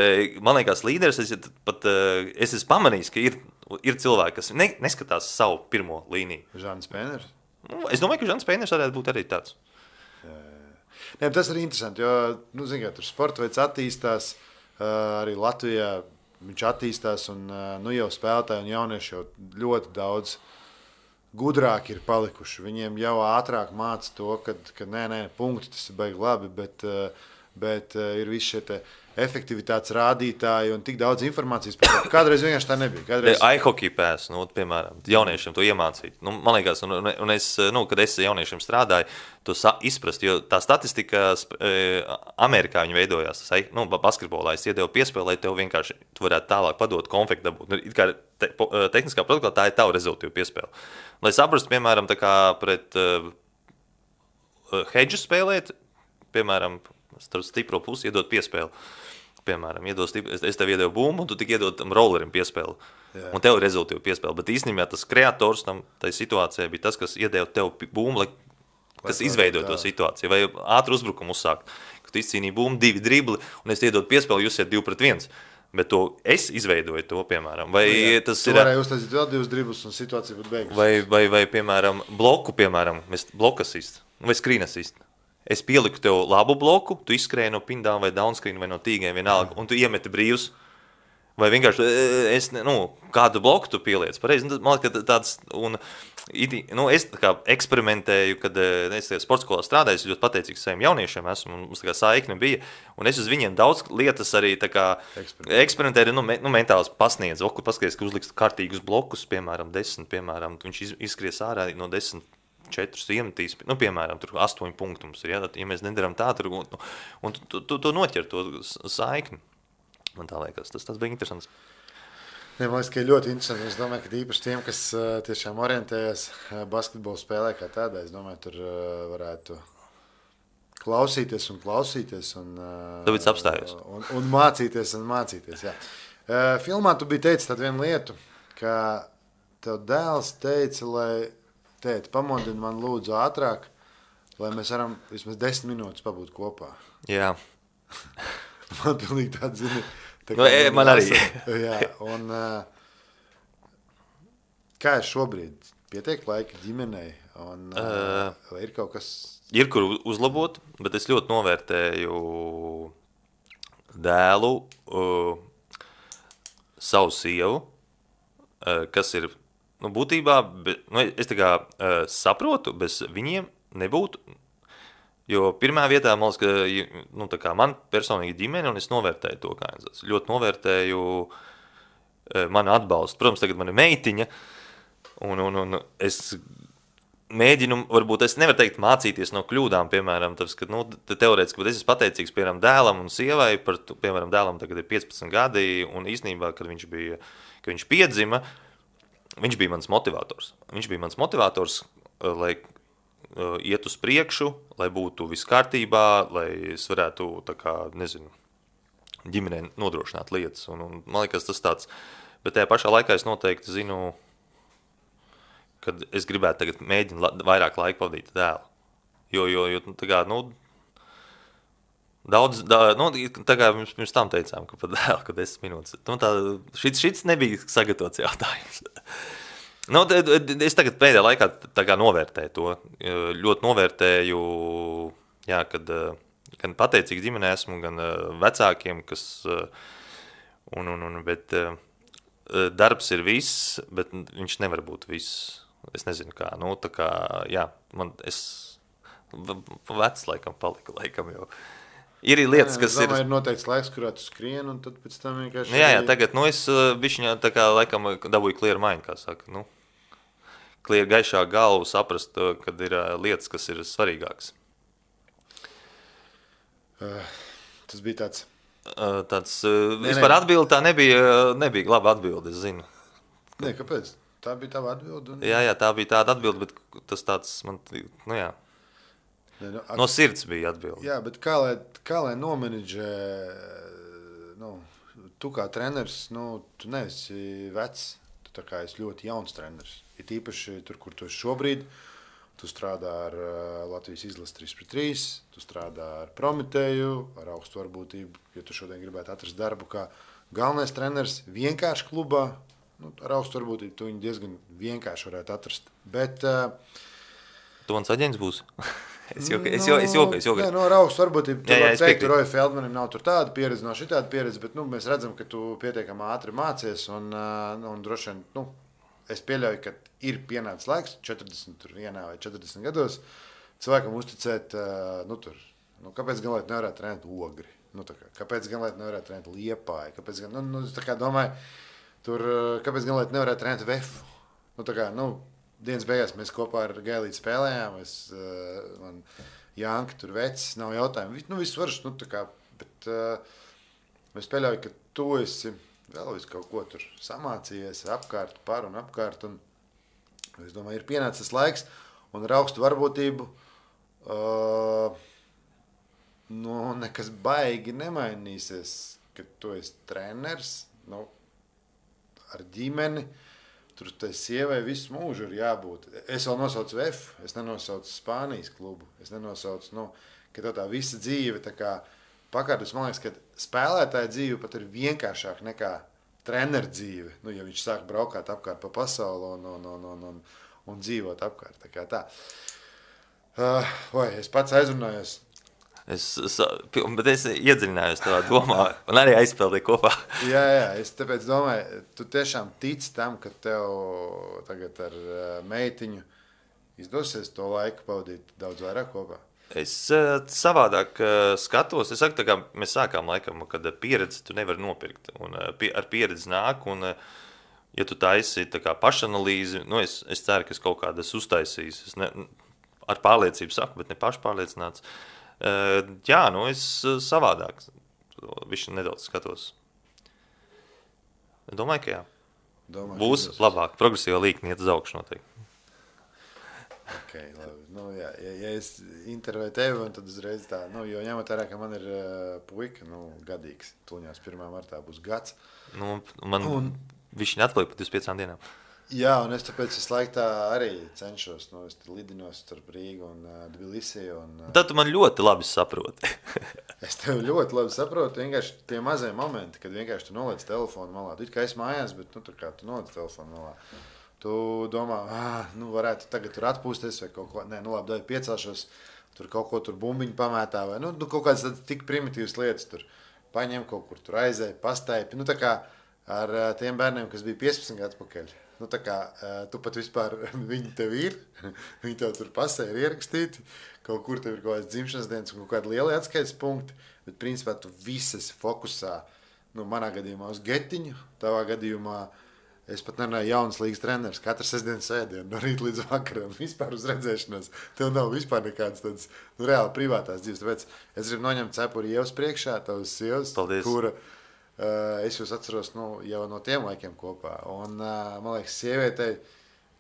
S2: man liekas, līderis, es, pat, es esmu pamanījis, ka ir, ir cilvēki, kas ne, neskatās savu pirmo līniju.
S1: Žāns Pēners?
S2: Nu, es domāju, ka Žāns Pēners varētu būt arī tāds.
S1: Jā, jā. Ne, tas ir interesanti, jo, nu, zin, kā, tur sporta veids attīstās, arī Latvijā viņš attīstās, un nu, jau spēlētāji un jaunieši jau ļoti daudz gudrāki ir palikuši. Viņiem jau ātrāk māca to, ka, ka nē, nē, punkti, tas ir baigi labi, bet bet uh, ir visi šie te efektivitātes rādītāji un tik daudz informācijas. Kādreiz vienkārši tā nebija. Kādreiz...
S2: iHockey pēc, nu, piemēram, jauniešiem to iemācīt. Nu, man liekas, un, un es, nu, kad es jauniešiem strādāju, to izprast, jo tā statistika e, Amerikā viņi veidojās. Tas, nu, basketbolā es iedevu piespēli, lai tev vienkārši tu varētu tālāk padot konfektu dabūt. Nu, it kā te, po, tehniskā protokolā tā ir tava rezultīva piespēle. Lai saprastu, piemēram, tā kā pret uh, hedžu spēlēt, piemēram, starp stipro pusi iedot piespēli. Piemēram, stipri, es tev iedevu bumbu, un tu tik iedod tam rollerim piespēli. Jā. Un tev ir rezultīva piespēle. Bet īstenībā tas kreators tam tai situācijai bija tas, kas iedeva tev bumbu, kas izveidoja to situāciju. Vai ātru uzbrukumu uzsākt. Kad tu izcīnīji bumbu, divi dribli, un es iedodu piespēli, jūs iet divi pret viens. Bet to es izveidoju to, piemēram. Vai jā, tas
S1: tu
S2: ir...
S1: varēja uztaisīt vēl divus driblus, un situācija būtu beigusies.
S2: Vai, vai, vai, piemēram, bloku, piemēram, mēs blokasist, vai skrīnasist. Es pieliku tev labu bloku, tu izskrēji no pindām vai downscreen vai no tīgiem vienalga, un tu iemeti brīvs. Vai vienkārši, es, nu, kādu bloku tu pieliec. Pareizi, man liekas, ka tāds, un, nu, es tā kā eksperimentēju, kad es sporta skolā strādāju, es ļoti pateicīgs saviem jauniešiem esmu, un mums tā kā saikne bija, un es uz viņiem daudz lietas arī tā kā eksperimentēju, nu, me, nu mentāls pasniedzu, okur paskaties, ka uzliks kārtīgus blokus, piemēram, desmit, piemēram, viņš izskries ārā no desmit. četrus iemetīs, nu, piemēram, tur astoņi punkti mums ir, ja, ja mēs nedaram tā, tur, un, un tu, tu, tu noķer to saikni. Man tā liekas, tas, tas bija interesants.
S1: Ja, man liekas, ka ir ļoti interesanti. Es domāju, ka īpaši tiem, kas uh, tiešām orientējas uh, basketbolu spēlē kā tādā, es domāju, tur uh, varētu klausīties un klausīties. Un, uh,
S2: Tāpēc apstājos.
S1: Un, un mācīties un mācīties, jā. Uh, filmā tu biji teicis tādu vienu lietu, ka tev dēls teica, lai tēti, pamodini man lūdzu ātrāk, lai mēs varam vismaz desmit minūtes pabūt kopā.
S2: Jā.
S1: Man pilnīgi tāda zini. Tā
S2: no, e, man arī.
S1: Jā, un kā ir šobrīd? Pietiek laika ģimenei? Un, uh, vai ir kaut kas?
S2: Ir, kur uzlabot, bet es ļoti novērtēju dēlu, uh, savu sievu, uh, kas ir Nu, būtībā, bet, nu, es tā kā uh, saprotu, bez viņiem nebūtu, jo pirmā vietā, man liekas, ka, nu, tā kā man personīgi ģimene, un es novērtēju to, kā es ļoti novērtēju uh, manu atbalstu. Protams, tagad man ir meitiņa, un, un, un es mēģinu, varbūt es nevaru teikt mācīties no kļūdām, piemēram, tas, ka, nu, teorētiski, bet es esmu pateicīgs, piemēram, dēlam un sievai, par, piemēram, dēlam tagad ir piecpadsmit gadi, un īstenībā, kad viņš bija, kad viņš piedzima, viņš bija mans motivators. Viņš bija mans motivators, lai uh, iet uz priekšu, lai būtu viss kārtībā, lai es varētu, tā kā, nezinu, ģimenei nodrošināt lietas. Un, un, man liekas, tas tāds, bet tajā pašā laikā es noteikti zinu, kad es gribētu tagad mēģināt la, vairāk laika pavadīt dēlu. Jo, jo, jo tā kā, nu, daudz, da, nu, tā kā mēs pirms tam teicām, ka pat dēl, ka desmit minūtes. Nu, tā, šits, šits nebija sagatavots jautājums. Nu, es tagad pēdējā laikā tā kā novērtēju to. Ļoti novērtēju, jā, kad gan pateicīgi ģimenē esmu, gan vecākiem, kas, un, un, un, bet darbs ir viss, bet viņš nevar būt viss. Es nezinu kā, nu, tā kā, jā, man, es vecs laikam palika, laikam jau. Ir lietas, kas
S1: jā, domāju,
S2: ir...
S1: ir noteikts laiks, kurā tu skrien, un tad pēc tam vienkārši...
S2: Jā, jā, tagad, nu, es bišķiņā tā kā, laikam, dabūju clear mind, kā saka, nu, clear gaišā galvu saprast, kad ir lietas, kas ir svarīgākas.
S1: Uh, tas bija tāds...
S2: Uh, tāds, uh, ne, vispār atbildi tā nebija, nebija laba atbildi, es zinu.
S1: Nē, kāpēc? Tā bija tava atbildi? Un...
S2: Jā, jā, tā bija tāda atbildi, bet tas tāds, man, nu jā. Ne, nu, at... No sirds bija atbildi.
S1: Jā, bet kā lai, kā lai nomenedžē, nu, tu kā treneris, nu, tu neesi vecs, tu tā kā esi ļoti jauns treneris. Ir īpaši tur, kur tu esi šobrīd, tu strādā ar Latvijas izlases trīs pret trīs, tu strādā ar Prometēju, ar augstu varbūtību, ja tu šodien gribētu atrast darbu kā galvenais treneris vienkārši klubā, nu, ar augstu varbūtību tu viņu diezgan vienkārši varētu atrast. Bet... Uh,
S2: tu mans aģents būs? Es joku, es joku, es joku. Es joku.
S1: Nē, no augstu varbūtību, tu var teikt,
S2: ka
S1: Roja Feldmanim nav tur tāda pieredze, nav šitāda pieredze, bet, nu, mēs redzam, ka tu pietiekami ātri mācies, un, un droši vien, nu, es pieļauju, ka ir pienācis laiks, četrdesmit vienā vai četrdesmit gados, cilvēkam uzticēt, nu, tur, Nu, kāpēc gan lai nevarētu trenēt Ogri? Nu, tā kā, kāpēc gan lai nevarētu trenēt Liepāju? Kāpēc gan, nu, nu, tā kā domāju, tur, kāpēc gan lai nevarētu trenēt Vefu? Nu, tā kā, nu, dienas beigās mēs kopā ar Gailīti spēlējām, es, man Janka tur vecis, nav jautājumu. Nu, viss varš, nu, tā kā, bet es pieļauju, ka tu esi vēl visu kaut ko tur samācījies apkārt, par un apkārt, un es domāju, ir pienācis laiks, un ar augstu varbūtību uh, nu, nekas baigi nemainīsies, kad tu esi treneris, nu, ar ģimeni, tur tai sievai visu mūžu ir jābūt. Es vēl nosaucu F, es nenosaucu Spānijas klubu, es nenosaucu, nu, ka tā, tā visa dzīve tā kā pakārtus, man liekas, ka spēlētāja dzīve pat ir vienkāršāk nekā treneru dzīve, nu, ja viņš sāk braukāt apkārt pa pasauli un, un, un, un, un, un dzīvot apkārt. Tā kā tā. Uh, oi, es pats aizrunājos.
S2: Es, bet es iedziļinājos tavā domā un arī aizpildīju kopā.
S1: jā, jā, es tāpēc domāju, tu tiešām tici tam, ka tev tagad ar meitiņu izdosies to laiku pavadīt daudz vairāk kopā.
S2: Es uh, savādāk uh, skatos, es saku, tā kā mēs sākām laikam, kad pieredzi tu nevari nopirkt, un uh, pie, ar pieredzi nāk, un uh, ja tu taisi tā kā pašanalīzi, nu es, es ceru, ka es kaut kādas uztaisīs, es ne, ar pārliecību saku, bet ne pašpārliecināts. Uh, jā, nu es uh, savādāk, višķi nedaudz skatos. Domāju, ka jā.
S1: Domāju,
S2: būs labāk, progresīva līkni iet uz augšu noteikti.
S1: Okay, labi. Nu, jā, ja, ja es intervēju tevi, tad uzreiz tā, nu, jo ņemot vērā, ka man ir uh, puika, nu, gadīgs, tuļņās pirmā martā būs gads.
S2: Nu, man un, viņš neatpaliek pat uz piecām dienām.
S1: Jā, un es tāpēc es laiku tā arī cenšos, nu, es lidinos starp Rīgu un uh, Tbilisi. Un, uh,
S2: tad tu man ļoti labi saproti.
S1: es tevi ļoti labi saprotu, vienkārši tie mazie momenti, kad vienkārši tu noliec telefonu malā. Tu it kā esi mājās, bet, nu, tur kā tu noliec telefonu malā. Tu domā, ah, nu varētu tagad tur atpūsties vai kaut ko, nē, nu labi, dāvi piecāšos, tur kaut ko tur bumbiņu pamētā vai, nu, nu kaut kādas tik primitīvas lietas tur paņem, kaut kur tur aizēja, pastaipi, nu tā kā ar tiem bērniem, kas bija piecpadsmit gadu atpakaļ, nu tā kā tu pat vispār, viņi tev ir, viņi tev tur pasē ir ierakstīti, kaut kur tev ir kaut kāds dzimšanas dienas un kaut kādi lieli atskaites punkti, bet principā tu visas fokusā, nu manā gadījumā uz getiņu, tavā gadījumā es pat nerunāju jaunas līgas treneris, katru sestdienas sēdienu, no rīta līdz vakaram, vispār uz redzēšanos. Tev nav vispār nekādas tādas, nu, reāli privātās dzīves. Tāpēc es gribu noņemt cepuri Ievas priekšā, tavas sievas, kura uh, es jūs atceros, nu, jau no tiem laikiem kopā. Un, uh, man liekas, sievietei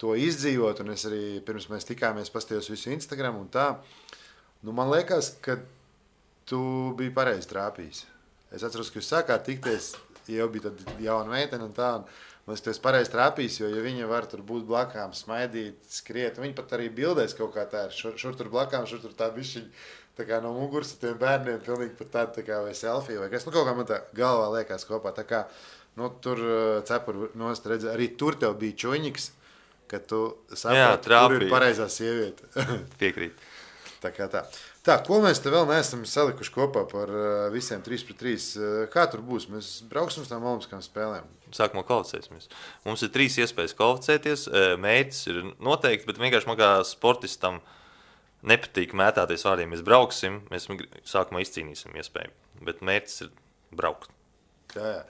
S1: to izdzīvot, un es arī, pirms mēs tikāmies, pastījos visu Instagram un tā, nu, man liekas, ka tu biji pareizi trāpījis. Es atceros, ka jūs sākāt tikties, jau bija tad jauna meitene un tā, un man liekas, tu esi pareizi trāpījis, jo ja viņa var tur būt blakām, smaidīt, skriet, viņa pat arī bildēs kaut kā tā ir, šur, šur tur blakām, šur tur tā bišķiņa, tā kā no muguras tiem bērniem, pilnīgi pat tāda tā kā vai selfie vai kas, nu kaut kā man tā galvā liekas kopā, tā kā, nu tur cepuri nost redzi, arī tur tev bija čuņiks, ka tu saprati, kur ir pareizā sieviete.
S2: Piekrīt.
S1: Tā kā tā. Tā, ko mēs te vēl neesam salikuši kopā par visiem trīs pret trīs? Kā tur būs? Mēs brauksim uz tām olimpiskām spēlēm.
S2: Sākumā kvalificēsimies. Mums ir trīs iespējas kvalificēties. Mērķis ir noteikti, bet vienkārši man kā sportistam nepatīk mētāties vārdiem. Mēs brauksim, mēs sākumā izcīnīsim iespēju, bet mērķis ir braukt.
S1: Jā, jā.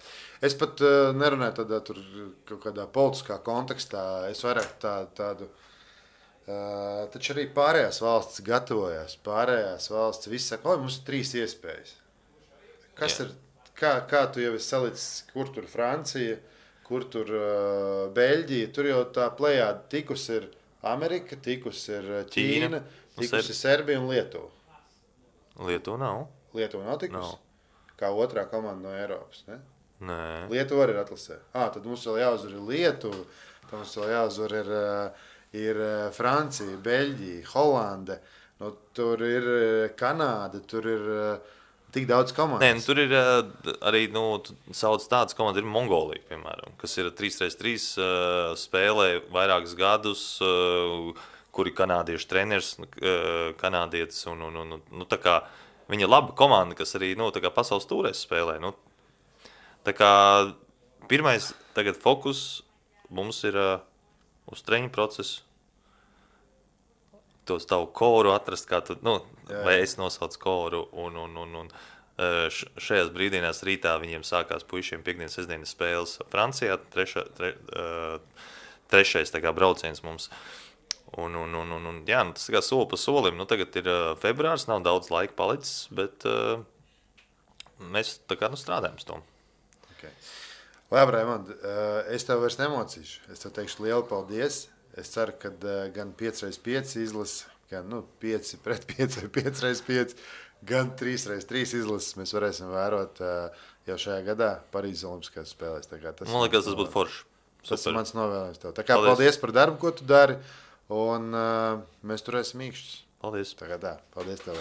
S1: Es pat uh, nerunāju tādā tur kaut kādā politiskā kontekstā. Es vairāk tā, tādu... Uh, taču arī pārējās valsts gatavojās, pārējās valsts viss saka, oi, mums ir trīs iespējas. Kas Jā. ir, kā, kā tu jau esi salicis, kur tur Francija, kur tur uh, Beļģija, tur jau tā plejāda tikus ir Amerika, tikus ir Ķīna, Ķīna tikus ir Serbija un Lietuva.
S2: Lietuva nav.
S1: Lietuva nav tikus?
S2: Nav.
S1: Kā otrā komanda no Eiropas, ne?
S2: Nē.
S1: Lietuva arī ir atlasē. Ā, tad mums vēl jāuzvar ir Lietuva, tad mums vēl jāuzvar ir... Uh, ir Francija, Beļģija, Holande, nu, tur ir Kanāda, tur ir tik daudz komandas.
S2: Nē, nu, tur ir arī, nu, sauc tādas komandas, ir Mongolija, piemēram, kas ir trīs pret trīs uh, spēlē vairākus gadus, uh, kuri kanādiešu treneris, uh, kanādietis, un, un, un, nu, tā kā viņa ir laba komanda, kas arī, nu, tā kā pasaules tūrēs spēlē, nu, tā kā pirmais tagad fokus mums ir uh, uz treņu procesu. tos tavu koru atrast, kā tu, nu, jā, vai es nosaucu koru, un, un, un, un šajās brīdīnās rītā viņiem sākās puišiem piekdienas, sestdienas spēles Francijā, trešā, tre, trešais tā kā brauciens mums. Un, un, un, un, un jā, nu, tas kā soli pa solim, nu, tagad ir februārs, nav daudz laika palicis, bet uh, mēs tā kā nu strādājam s tom.
S1: Okay. Labi, Raimond, es tev vairs nemocīšu. Es tev teikšu lielu paldies. Es ceru, ka gan pieci reiz pieci izlases, gan nu, pieci pret pieci vai pieci reiz pieci, gan trīs reiz trīs izlases mēs varēsim vērot jau šajā gadā Parīzes Olimpiskās spēlēs. Tas
S2: Man liekas, tas būtu forši.
S1: Super. Tas ir mans novēlējums tev. Tā kā paldies. paldies par darbu, ko tu dari, un uh, mēs turēsim īkšķus.
S2: Paldies.
S1: Tā kā tā. Paldies tev.